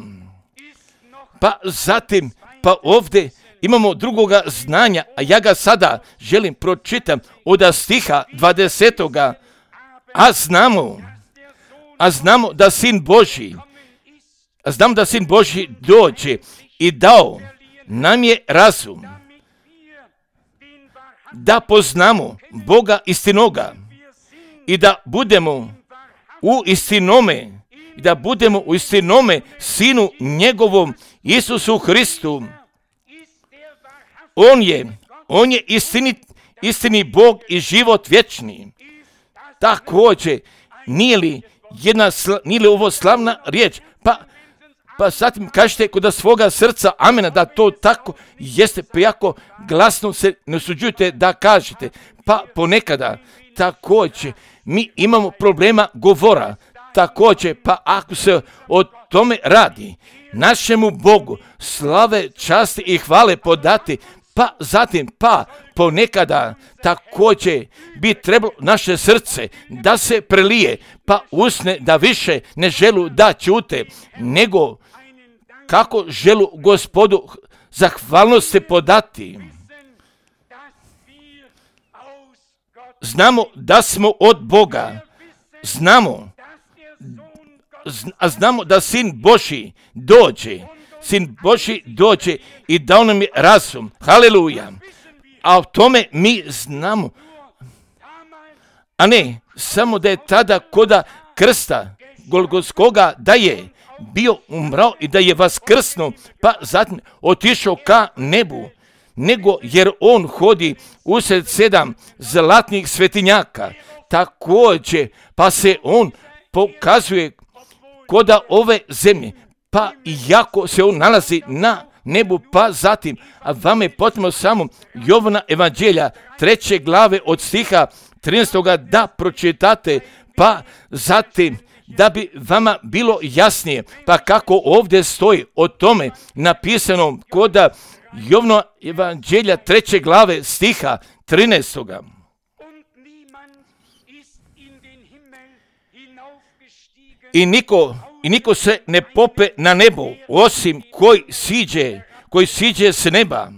Pa zatim, pa ovdje imamo drugoga znanja, a ja ga sada želim pročitam od stiha dvadesetoga. A znamo, a znamo da Sin Božji, a znamo da Sin Božji dođe i dao nam je razum, da poznamo Boga istinoga i da budemo u istinome, i da budemo u istinome Sinu njegovom Isusu Hristu. On je, on je istini, istini Bog i život vječni. Također, nije li, jedna, nije li ovo slavna riječ? Pa, pa zatim kažete kod svoga srca amena da to tako jeste, pa jako glasno se ne usuđujete da kažete. Pa ponekada također mi imamo problema govora. Također, pa ako se o tome radi, našemu Bogu slave, časti i hvale podati, pa zatim, pa ponekada također bi trebalo naše srce da se prelije, pa usne da više ne želu da ćute, nego kako želu Gospodu zahvalnosti podati. Znamo da smo od Boga, znamo, a znamo da Sin Božji dođe, Sin Božji dođe i dao nam je razum, haleluja, a o tome mi znamo, a ne samo da je tada koda krsta Golgotskoga da je bio umrao i da je vaskrsnuo, pa zatim otišao ka nebu, nego jer on hodi usred sedam zlatnih svetinjaka. Također, pa se on pokazuje koda ove zemlje, pa iako se on nalazi na nebu, pa zatim, a vama je potrebno samo Jovana evanđelja treće glave od stiha trinaestog da pročitate, pa zatim da bi vama bilo jasnije, pa kako ovdje stoji o tome napisano koda Jovana evanđelja treće glave stiha trinaestog. I niko, i niko se ne pope na nebo, osim koji siđe, koji siđe s neba.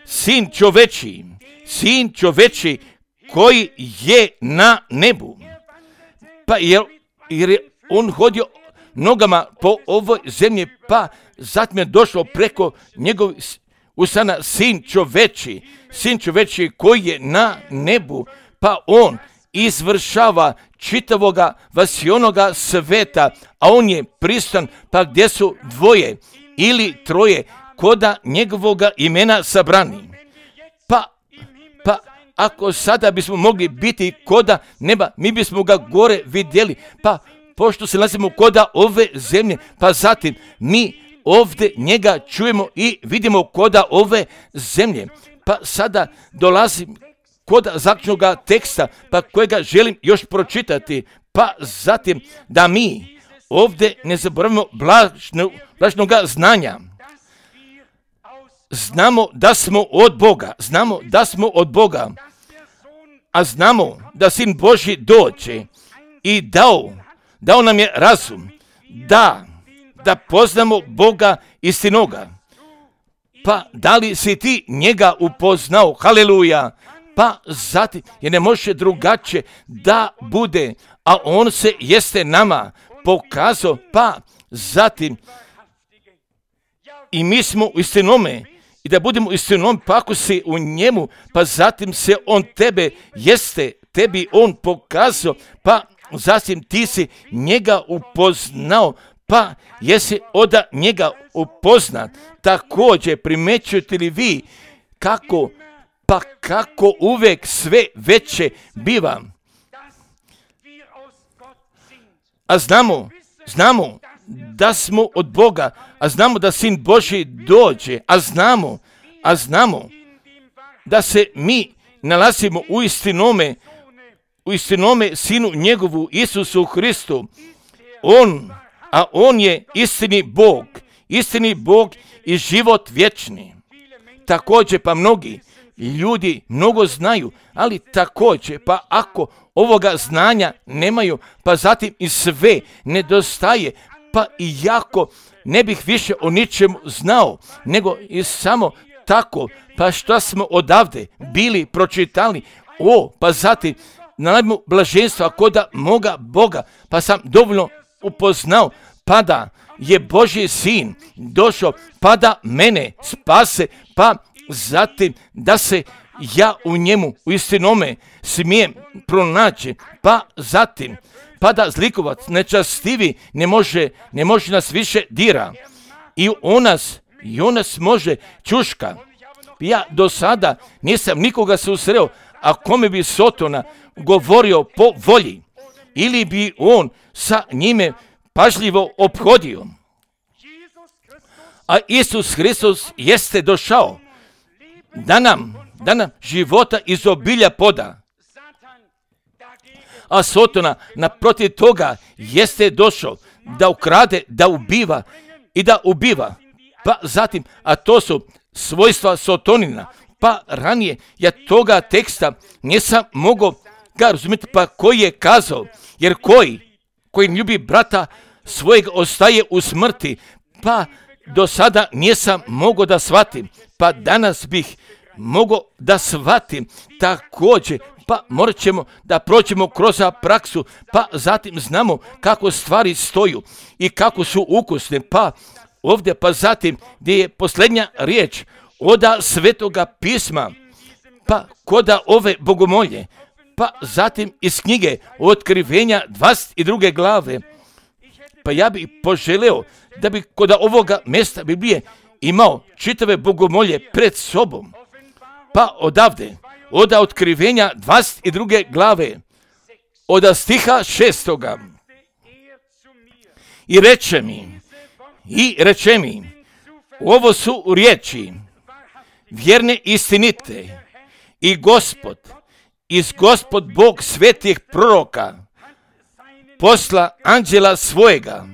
Sin čoveči, sin čoveči koji je na nebu. Pa jer, jer je on hodio nogama po ovoj zemlji, pa zatim je došlo preko njegovih usana sin čoveči, sin čoveči koji je na nebu, pa on izvršava čitavoga vasionoga sveta, a on je pristan, pa gdje su dvoje ili troje koda njegovoga imena sabrani. Pa, pa ako sada bismo mogli biti koda neba, mi bismo ga gore vidjeli, pa pošto se nalazimo koda ove zemlje, pa zatim mi ovdje njega čujemo i vidimo koda ove zemlje. Pa sada dolazim koda zaključnoga teksta, pa kojega želim još pročitati, pa zatim da mi ovdje ne zaboravimo blažno, blažnoga znanja. Znamo da smo od Boga, znamo da smo od Boga, a znamo da Sin Božji dođe i dao, dao nam je razum, da, da poznamo Boga istinoga. Pa da li si ti njega upoznao? Haleluja! Pa zatim, jer ne može drugačije da bude, a on se jeste nama pokazao, pa zatim i mi smo u istinome, i da budemo istinom, pa ako si u njemu, pa zatim se on tebe jeste, tebi on pokazao, pa zatim ti si njega upoznao, pa jesi od njega upoznat. Također primećujete li vi kako, pa kako uvijek sve veće biva. A znamo, znamo da smo od Boga, a znamo da Sin Božji dođe, a znamo, a znamo da se mi nalazimo u istinome, u istinome Sinu njegovu Isusu Hristu. On, a on je istini Bog, istini Bog i život vječni. Također pa mnogi ljudi mnogo znaju, ali također pa ako ovoga znanja nemaju, pa zatim i sve nedostaje, pa i jako ne bih više o ničemu znao, nego i samo tako, pa što smo odavde bili pročitali, o, pa zatim naladimo blaženstva koda moga Boga, pa sam dovoljno upoznao, pa da je Božji sin došao, pa da mene spase, pa zatim da se ja u njemu u istinome smijem pronaći, pa zatim pa da zlikovac nečastivi ne može, ne može nas više dira i on nas, i on nas može čuška. Ja do sada nisam nikoga susreo, a kome bi Sotona govorio po volji, ili bi on sa njime pažljivo ophodio. A Isus Hristos jeste došao da nam, da nam života iz obilja poda. A Sotona naprotiv toga jeste došao da ukrade, da ubiva i da ubiva. Pa zatim, a to su svojstva Sotonina. Pa ranije ja toga teksta nisam mogao ga razumjeti, pa koji je kazao, jer koji, koji ljubi brata svojeg ostaje u smrti, pa do sada nisam mogao da shvatim, pa danas bih mogao da shvatim također, pa morat ćemo da prođemo kroz praksu, pa zatim znamo kako stvari stoju i kako su ukusne, pa ovdje, pa zatim gdje je posljednja riječ oda Svetoga pisma, pa koda ove bogomolje, pa zatim iz knjige Otkrivenja dvadeset druge glave, pa ja bih poželeo da bi kod ovoga mjesta Biblije imao čitave bogomolje pred sobom. Pa odavde, od otkrivenja dvadeset druge glave, od stiha šestoga. I reče mi, i reče mi, ovo su riječi vjerne istinite i Gospod, iz Gospod Bog svetih proroka, posla anđela svojega,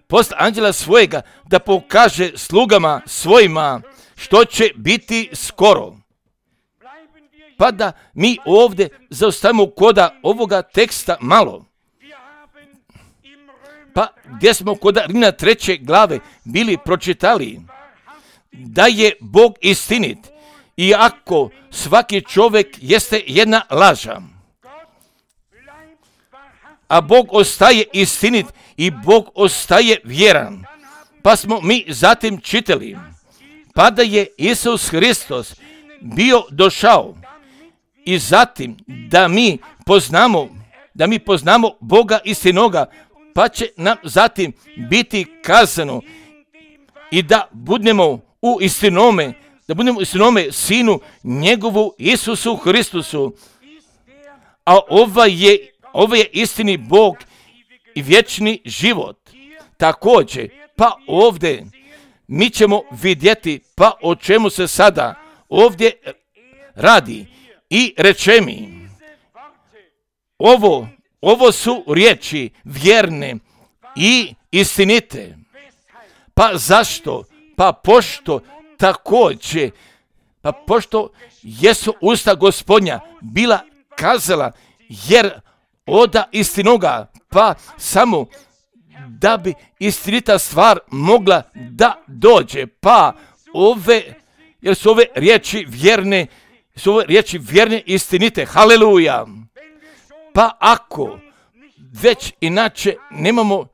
posla anđela svojega da pokaže slugama svojima što će biti skoro. Pa da mi ovdje zaustavimo koda ovoga teksta malo. Pa gdje smo kod Rimljana treće glave bili pročitali da je Bog istinit, iako svaki čovjek jeste jedna laža. A Bog ostaje istinit i Bog ostaje vjeran. Pa smo mi zatim čitali, pa da je Isus Hristos bio došao i zatim da mi poznamo, da mi poznamo Boga istinoga, pa će nam zatim biti kazano i da budemo u istinome, da budemo u istinome Sinu njegovu Isusu Hristusu. A ovaj je, ovaj je istini Bog i vječni život. Također, pa ovdje mi ćemo vidjeti pa o čemu se sada ovdje radi. I reče mi, ovo, ovo su riječi vjerne i istinite. Pa zašto? Pa pošto također, pa pošto jesu usta Gospodnja bila kazala, jer oda istinoga, pa samo da bi istinita stvar mogla da dođe, pa ove, jer su ove riječi vjerne, su ove riječi vjerne istinite, haleluja. Pa ako već inače nemamo,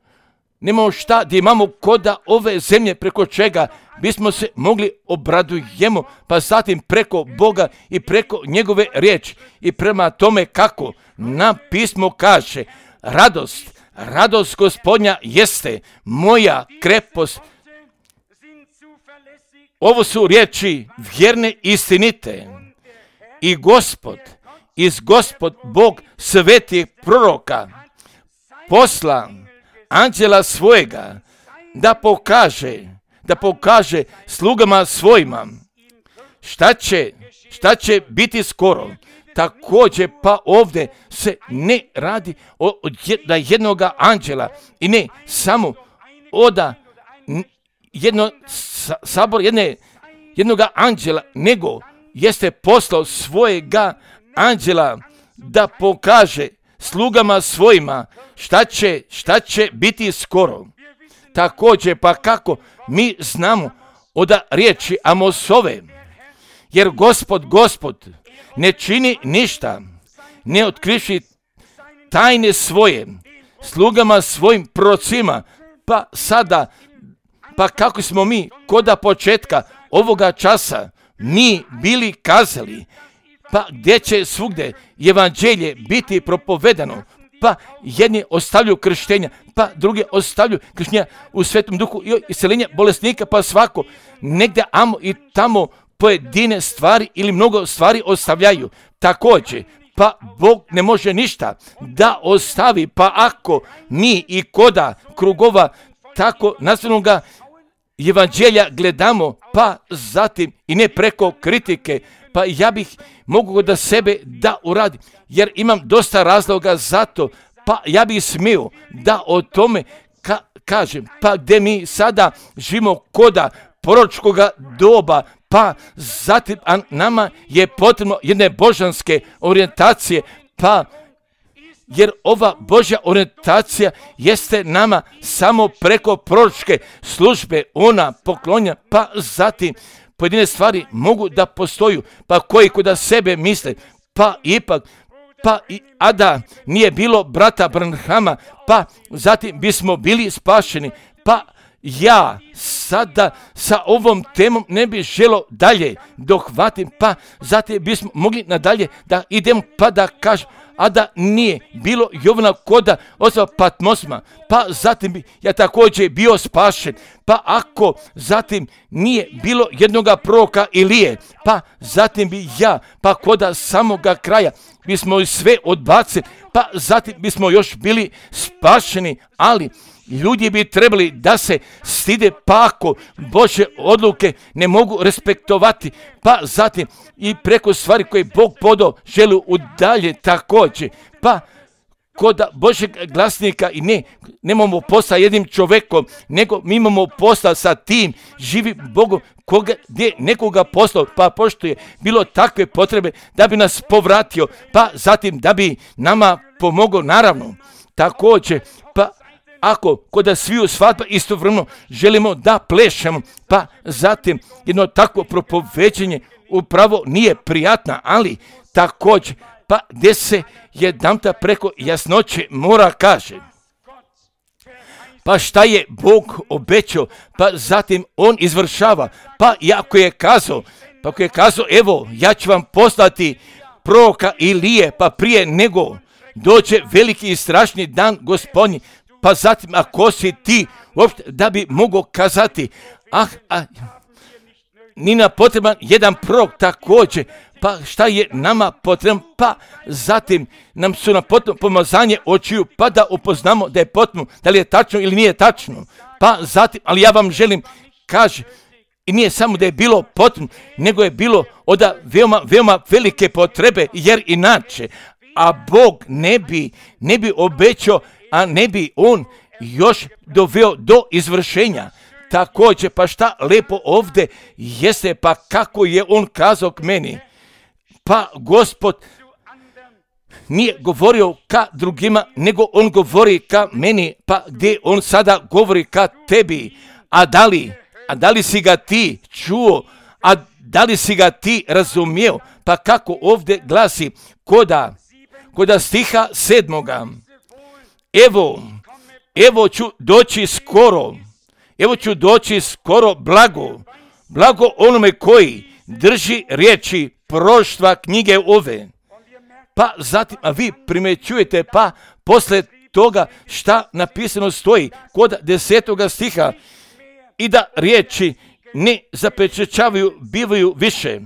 nemamo šta gdje imamo koda ove zemlje preko čega bismo se mogli obradujemo, pa zatim preko Boga i preko njegove riječi i prema tome kako nam pismo kaže, radost, radost Gospodnja jeste moja krepost. Ovo su riječi vjerne istinite i Gospod, iz Gospod Bog svetih proroka posla anđela svojega da pokaže, da pokaže slugama svojima šta će, šta će biti skoro. Također pa ovdje se ne radi od jednoga anđela i ne samo oda jedno sabor jedne, jednoga anđela, nego jeste poslao svojega anđela da pokaže slugama svojima šta će, šta će biti skoro. Također pa kako mi znamo od riječi Amosove, jer Gospod, Gospod ne čini ništa, ne otkriši tajne svoje slugama svojim prorocima, pa sada, pa kako smo mi koda početka ovoga časa mi bili kazali, pa gdje će svugdje evanđelje biti propovedano, pa jedni ostavljaju krštenja, pa drugi ostavljaju krštenja u Svetom Duhu i isceljenja bolesnika, pa svako negdje amo i tamo pojedine stvari ili mnogo stvari ostavljaju. Također, pa Bog ne može ništa da ostavi, pa ako mi i koda krugova tako nastavnoga evanđelja gledamo, pa zatim i ne preko kritike, pa ja bih mogu da sebe da uradim, jer imam dosta razloga za to, pa ja bih smio da o tome ka- kažem, pa gdje mi sada živimo koda proročkoga doba, pa zatim a nama je potrebno jedne božanske orijentacije, pa jer ova Božja orijentacija jeste nama samo preko proročke službe, ona poklonja, pa zatim pojedine stvari mogu da postoju, pa koji kod sebe misle, pa ipak, pa i, a da nije bilo brata Branhama, pa zatim bismo bili spašeni, pa ja sada sa ovom temom ne bih želo dalje dohvatim, pa zatim bismo mogli nadalje da idemo pa da kažem, a da nije bilo Jovana koda osoba Patmosma, pa zatim bi ja također bio spašen, pa ako zatim nije bilo jednoga proroka Ilije, pa zatim bi ja, pa koda samoga kraja bismo sve odbacili, pa zatim bismo još bili spašeni, ali ljudi bi trebali da se stide, pa ako Božje odluke ne mogu respektovati, pa zatim i preko stvari koje Bog podao želi udalje također, pa kod Božjeg glasnika i ne, nemamo posla jednim čovjekom, nego mi imamo posla sa tim živim Bogom koga, gdje nekoga poslao, pa pošto je bilo takve potrebe da bi nas povratio, pa zatim da bi nama pomogao, naravno, također, pa ako kod sviju svadba istovremeno želimo da plešemo, pa zatim jedno takvo propoveđenje upravo nije prijatna, ali također, pa gdje se jedanputa preko jasnoće mora kaže, pa šta je Bog obećao, pa zatim on izvršava, pa ako je kazao, pa ako je kazao, evo, ja ću vam poslati proroka Ilije, pa prije nego dođe veliki i strašni dan Gospodnji, pa zatim ako si ti uopšte da bi mogao kazati, ah, ah, ni na potreban jedan prorok također, pa šta je nama potrebno, pa zatim nam su na potrebno pomazanje očiju, pa da upoznamo da je potrebno, da li je tačno ili nije tačno, pa zatim, ali ja vam želim, kaže, i nije samo da je bilo potrebno, nego je bilo od veoma, veoma velike potrebe, jer inače, a Bog ne bi, ne bi obećao, a ne bi on još doveo do izvršenja. Također, pa šta lepo ovdje jeste, pa kako je on kazao k meni, pa Gospod nije govorio ka drugima, nego on govori ka meni, pa gdje on sada govori ka tebi, a da li, a da li si ga ti čuo, a da li si ga ti razumio, pa kako ovdje glasi koda, koda stiha sedmoga, evo, evo ću doći skoro, evo ću doći skoro blago, blago onome koji drži riječi proroštva knjige ove. Pa zatim, a vi primećujete, pa posle toga šta napisano stoji kod desetoga stiha, i da riječi ne zapečaćavaju, bivaju više.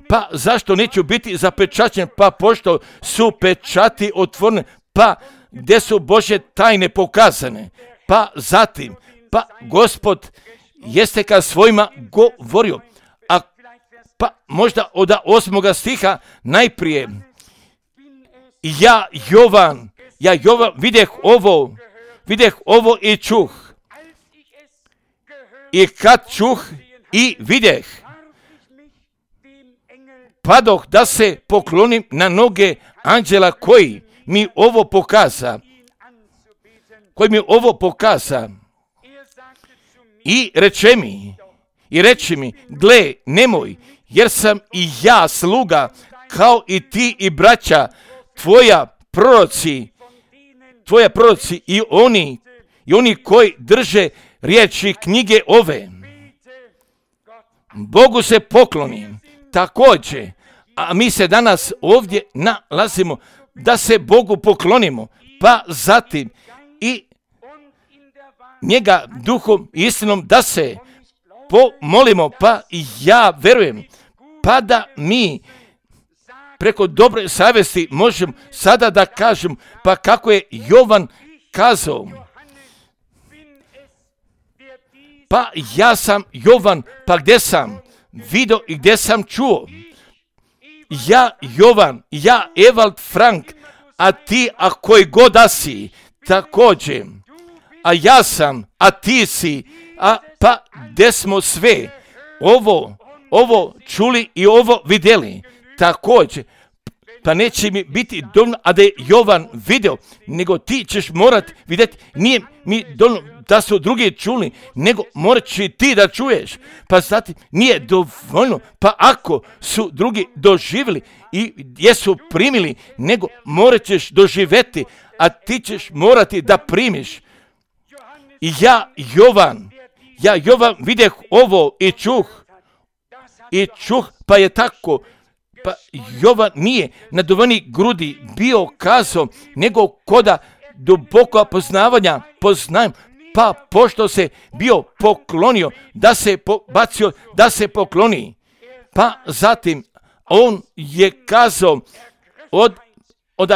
Pa zašto neću biti zapečaćen, pa pošto su pečati otvorene, pa gdje su Božje tajne pokazane, pa zatim, pa Gospod jeste ka svojima govorio, a pa možda od osmoga stiha najprije, ja Jovan, ja Jovan videh ovo, videh ovo i čuh, i kad čuh i videh, padoh da se poklonim na noge anđela koji mi ovo pokaza, koji mi ovo pokaza, i reče mi, i reči mi, gle, nemoj, jer sam i ja sluga, kao i ti i braća, tvoja proroci, tvoja proroci i oni, i oni koji drže riječi knjige ove. Bogu se poklonim, također, a mi se danas ovdje nalazimo da se Bogu poklonimo, pa zatim i njega duhom i istinom da se pomolimo, pa ja verujem, pa da mi preko dobre savjesti možemo sada da kažem, pa kako je Jovan kazao, pa ja sam Jovan, pa gdje sam vidio i gdje sam čuo, ja Jovan, ja Evald Frank, a ti, a koji god da si, također, a ja sam, a ti si, a pa gdje smo sve ovo, ovo čuli i ovo vidjeli, također, pa neće mi biti dovoljno, a da je Jovan vidio, nego ti ćeš morat vidjeti, nije mi dovoljno da su drugi čuli, nego morat će ti da čuješ, pa zatim nije dovoljno, pa ako su drugi doživjeli i jesu primili, nego morat ćeš doživjeti, a ti ćeš morati da primiš. I ja, Jovan, Ja Jovan videh ovo i čuh, i čuh, pa je tako, pa Jovan nije na duvani grudi bio kazao, nego koda duboko poznavanja poznajem, pa pošto se bio poklonio, da se pobacio, da se pokloni. Pa zatim on je kazao od, od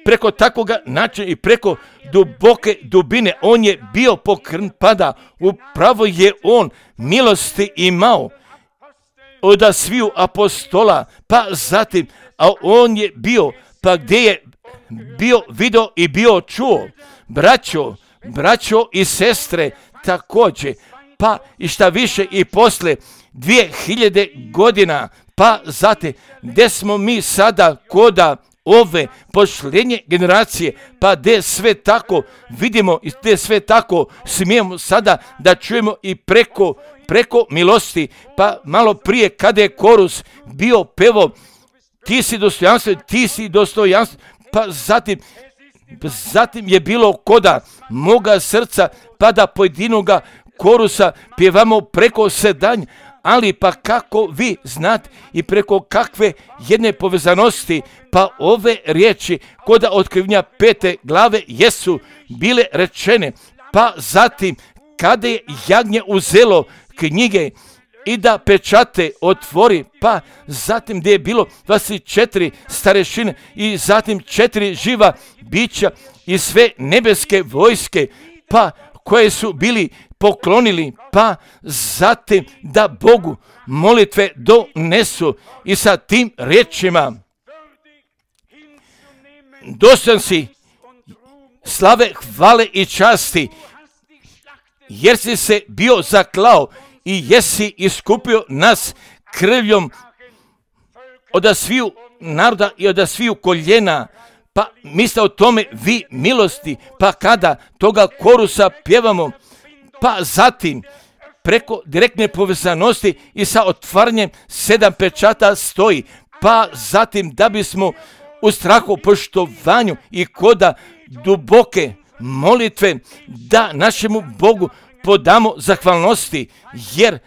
preko takvoga načina i preko duboke dubine on je bio pokrn pada. Upravo je on milosti imao od sviju apostola, pa zatim, a on je bio, pa gdje je bio video i bio čuo, braćo, braćo i sestre također, pa i šta više i posle dvije hiljade godina, pa zatim, gdje smo mi sada koda ove posljednje generacije, pa gdje sve tako vidimo i gdje sve tako smijemo sada da čujemo i preko, preko milosti, pa malo prije kada je korus bio pevo, ti si dostojanstven, ti si dostojanstven, pa zatim, zatim je bilo koda moga srca, pa da pojedinoga korusa pjevamo preko sedanja, ali pa kako vi znate i preko kakve jedne povezanosti, pa ove riječi koda otkrivenja pete glave jesu bile rečene, pa zatim kada je jagnje uzelo knjige i da pečate otvori, pa zatim gdje je bilo dvadeset četiri starešine i zatim četiri živa bića i sve nebeske vojske, pa koje su bili poklonili, pa zatim da Bogu molitve donesu i sa tim riječima: dostojan si slave, hvale i časti, jer si se bio zaklao i jesi iskupio nas krvljom od sviju naroda i od sviju koljena. Pa misle o tome vi milosti, pa kada toga korusa pjevamo, pa zatim preko direktne povezanosti i sa otvaranjem sedam pečata stoji, pa zatim da bismo u strahu, poštovanju i koda duboke molitve da našemu Bogu podamo zahvalnosti, jer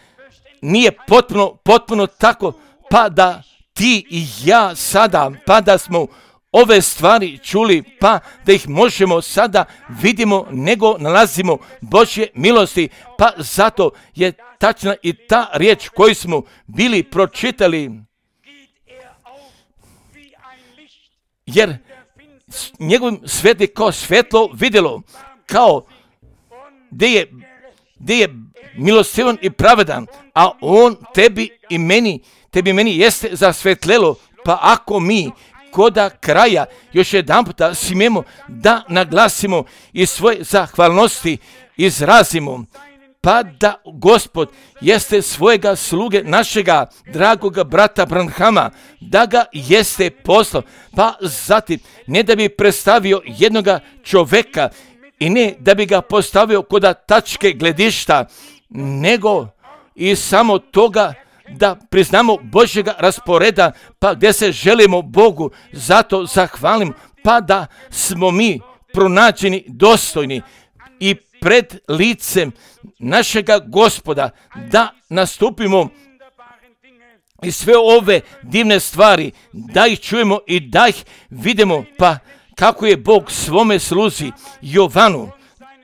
nije potpuno, potpuno tako, pa da ti i ja sada, pa da smo ove stvari čuli, pa da ih možemo sada vidimo, nego nalazimo Božje milosti, pa zato je tačna i ta riječ koju smo bili pročitali, jer njegovim sveti kao svetlo vidjelo, kao gdje je, gdje je milostivan i pravedan, a on tebi i meni, tebi i meni jeste zasvetlelo, pa ako mi koda kraja još jedan puta smijemo da naglasimo i svoje zahvalnosti izrazimo, pa da Gospod jeste svojega sluge, našega dragoga brata Branhama, da ga jeste poslao, pa zatim ne da bi predstavio jednoga čoveka i ne da bi ga postavio koda tačke gledišta, nego i samo toga da priznamo Božjega rasporeda, pa gdje se želimo Bogu, zato zahvalim, pa da smo mi pronađeni dostojni i pred licem našega Gospoda, da nastupimo i sve ove divne stvari, da ih čujemo i da ih vidimo, pa kako je Bog svome sluzi Jovanu,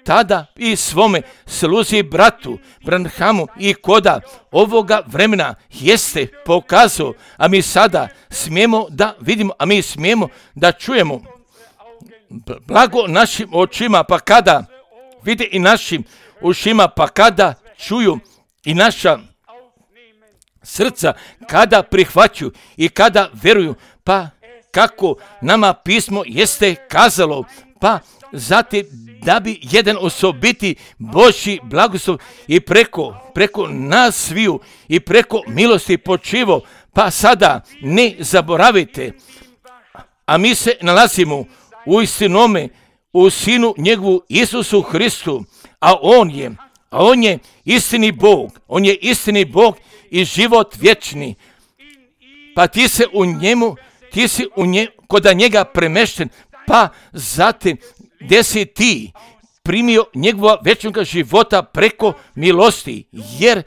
tada i svome sluzi bratu Branhamu i koda ovoga vremena jeste pokazao, a mi sada smijemo da vidimo, a mi smijemo da čujemo. Blago našim očima, pa kada vide i našim ušima, pa kada čuju i naša srca, kada prihvaćaju i kada vjeruju, pa kako nama pismo jeste kazalo, pa zatim da bi jedan osobiti Božji blagoslov i preko, preko nas sviju i preko milosti počivo, pa sada ne zaboravite, a mi se nalazimo u istinome, u Sinu njegovu Isusu Hristu, a on je, a on je istini Bog, on je istini Bog i život vječni, pa ti se u njemu, ti si u nje, koda njega premešten, pa zatim gdje si ti, primio njegova večnoga života preko milosti, jer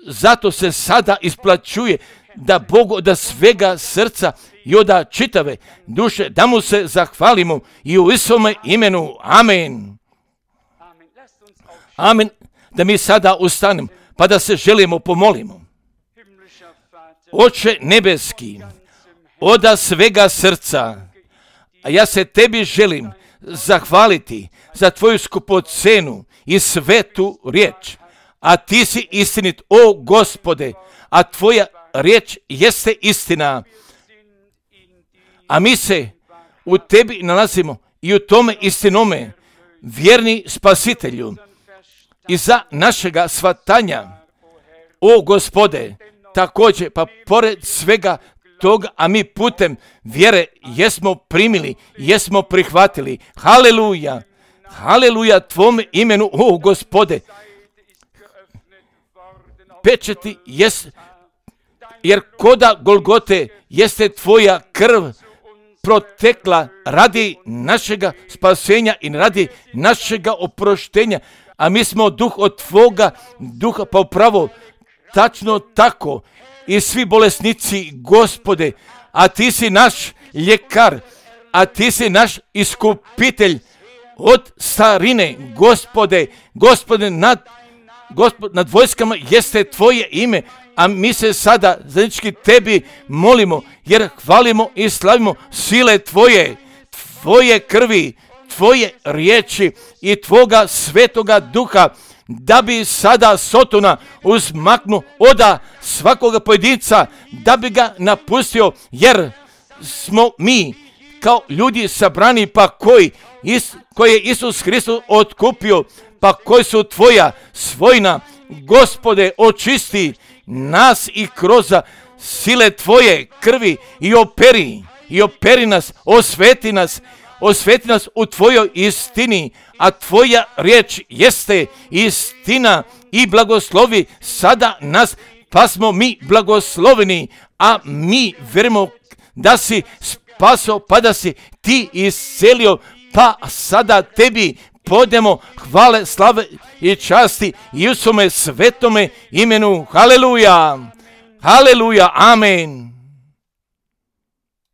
zato se sada isplaćuje da Bogu da svega srca i od čitave duše da mu se zahvalimo i u Isome imenu. Amen. Amen. Da mi sada ustanemo pa da se želimo pomolimo. Oče nebeski, od svega srca, a ja se tebi želim zahvaliti za tvoju skupocenu i svetu riječ. A ti si istinit, o Gospode, a tvoja riječ jeste istina. A mi se u tebi nalazimo i u tome istinome, vjerni Spasitelju, i za našega shvatanja, o Gospode, također, pa pored svega toga, a mi putem vjere jesmo primili, jesmo prihvatili. Haleluja, haleluja tvome imenu, o Gospode. Pečeti jest, jer koda Golgote jeste tvoja krv protekla radi našega spasenja i radi našega oproštenja, a mi smo duh od tvoga duha, pa upravo tačno tako i svi bolesnici, Gospode, a ti si naš ljekar, a ti si naš iskupitelj od starine, Gospode, Gospode, nad, Gospod, nad vojskama jeste tvoje ime, a mi se sada zajednički tebi molimo, jer hvalimo i slavimo sile tvoje, tvoje krvi, tvoje riječi i tvoga svetoga duha, da bi sada Sotona uzmaknu oda svakoga pojedinca, da bi ga napustio, jer smo mi kao ljudi sabrani, pa koji, is, koji je Isus Hristos otkupio, pa koji su tvoja svojina, Gospode, očisti nas i kroz sile tvoje krvi i operi, i operi nas, osveti nas, osveti nas u tvojoj istini, a tvoja riječ jeste istina i blagoslovi sada nas, pa smo mi blagosloveni, a mi verimo da si spaso, pa da si ti iscelio, pa sada tebi podemo hvale, slave i časti i u svome svetome imenu. Haleluja, haleluja, amen.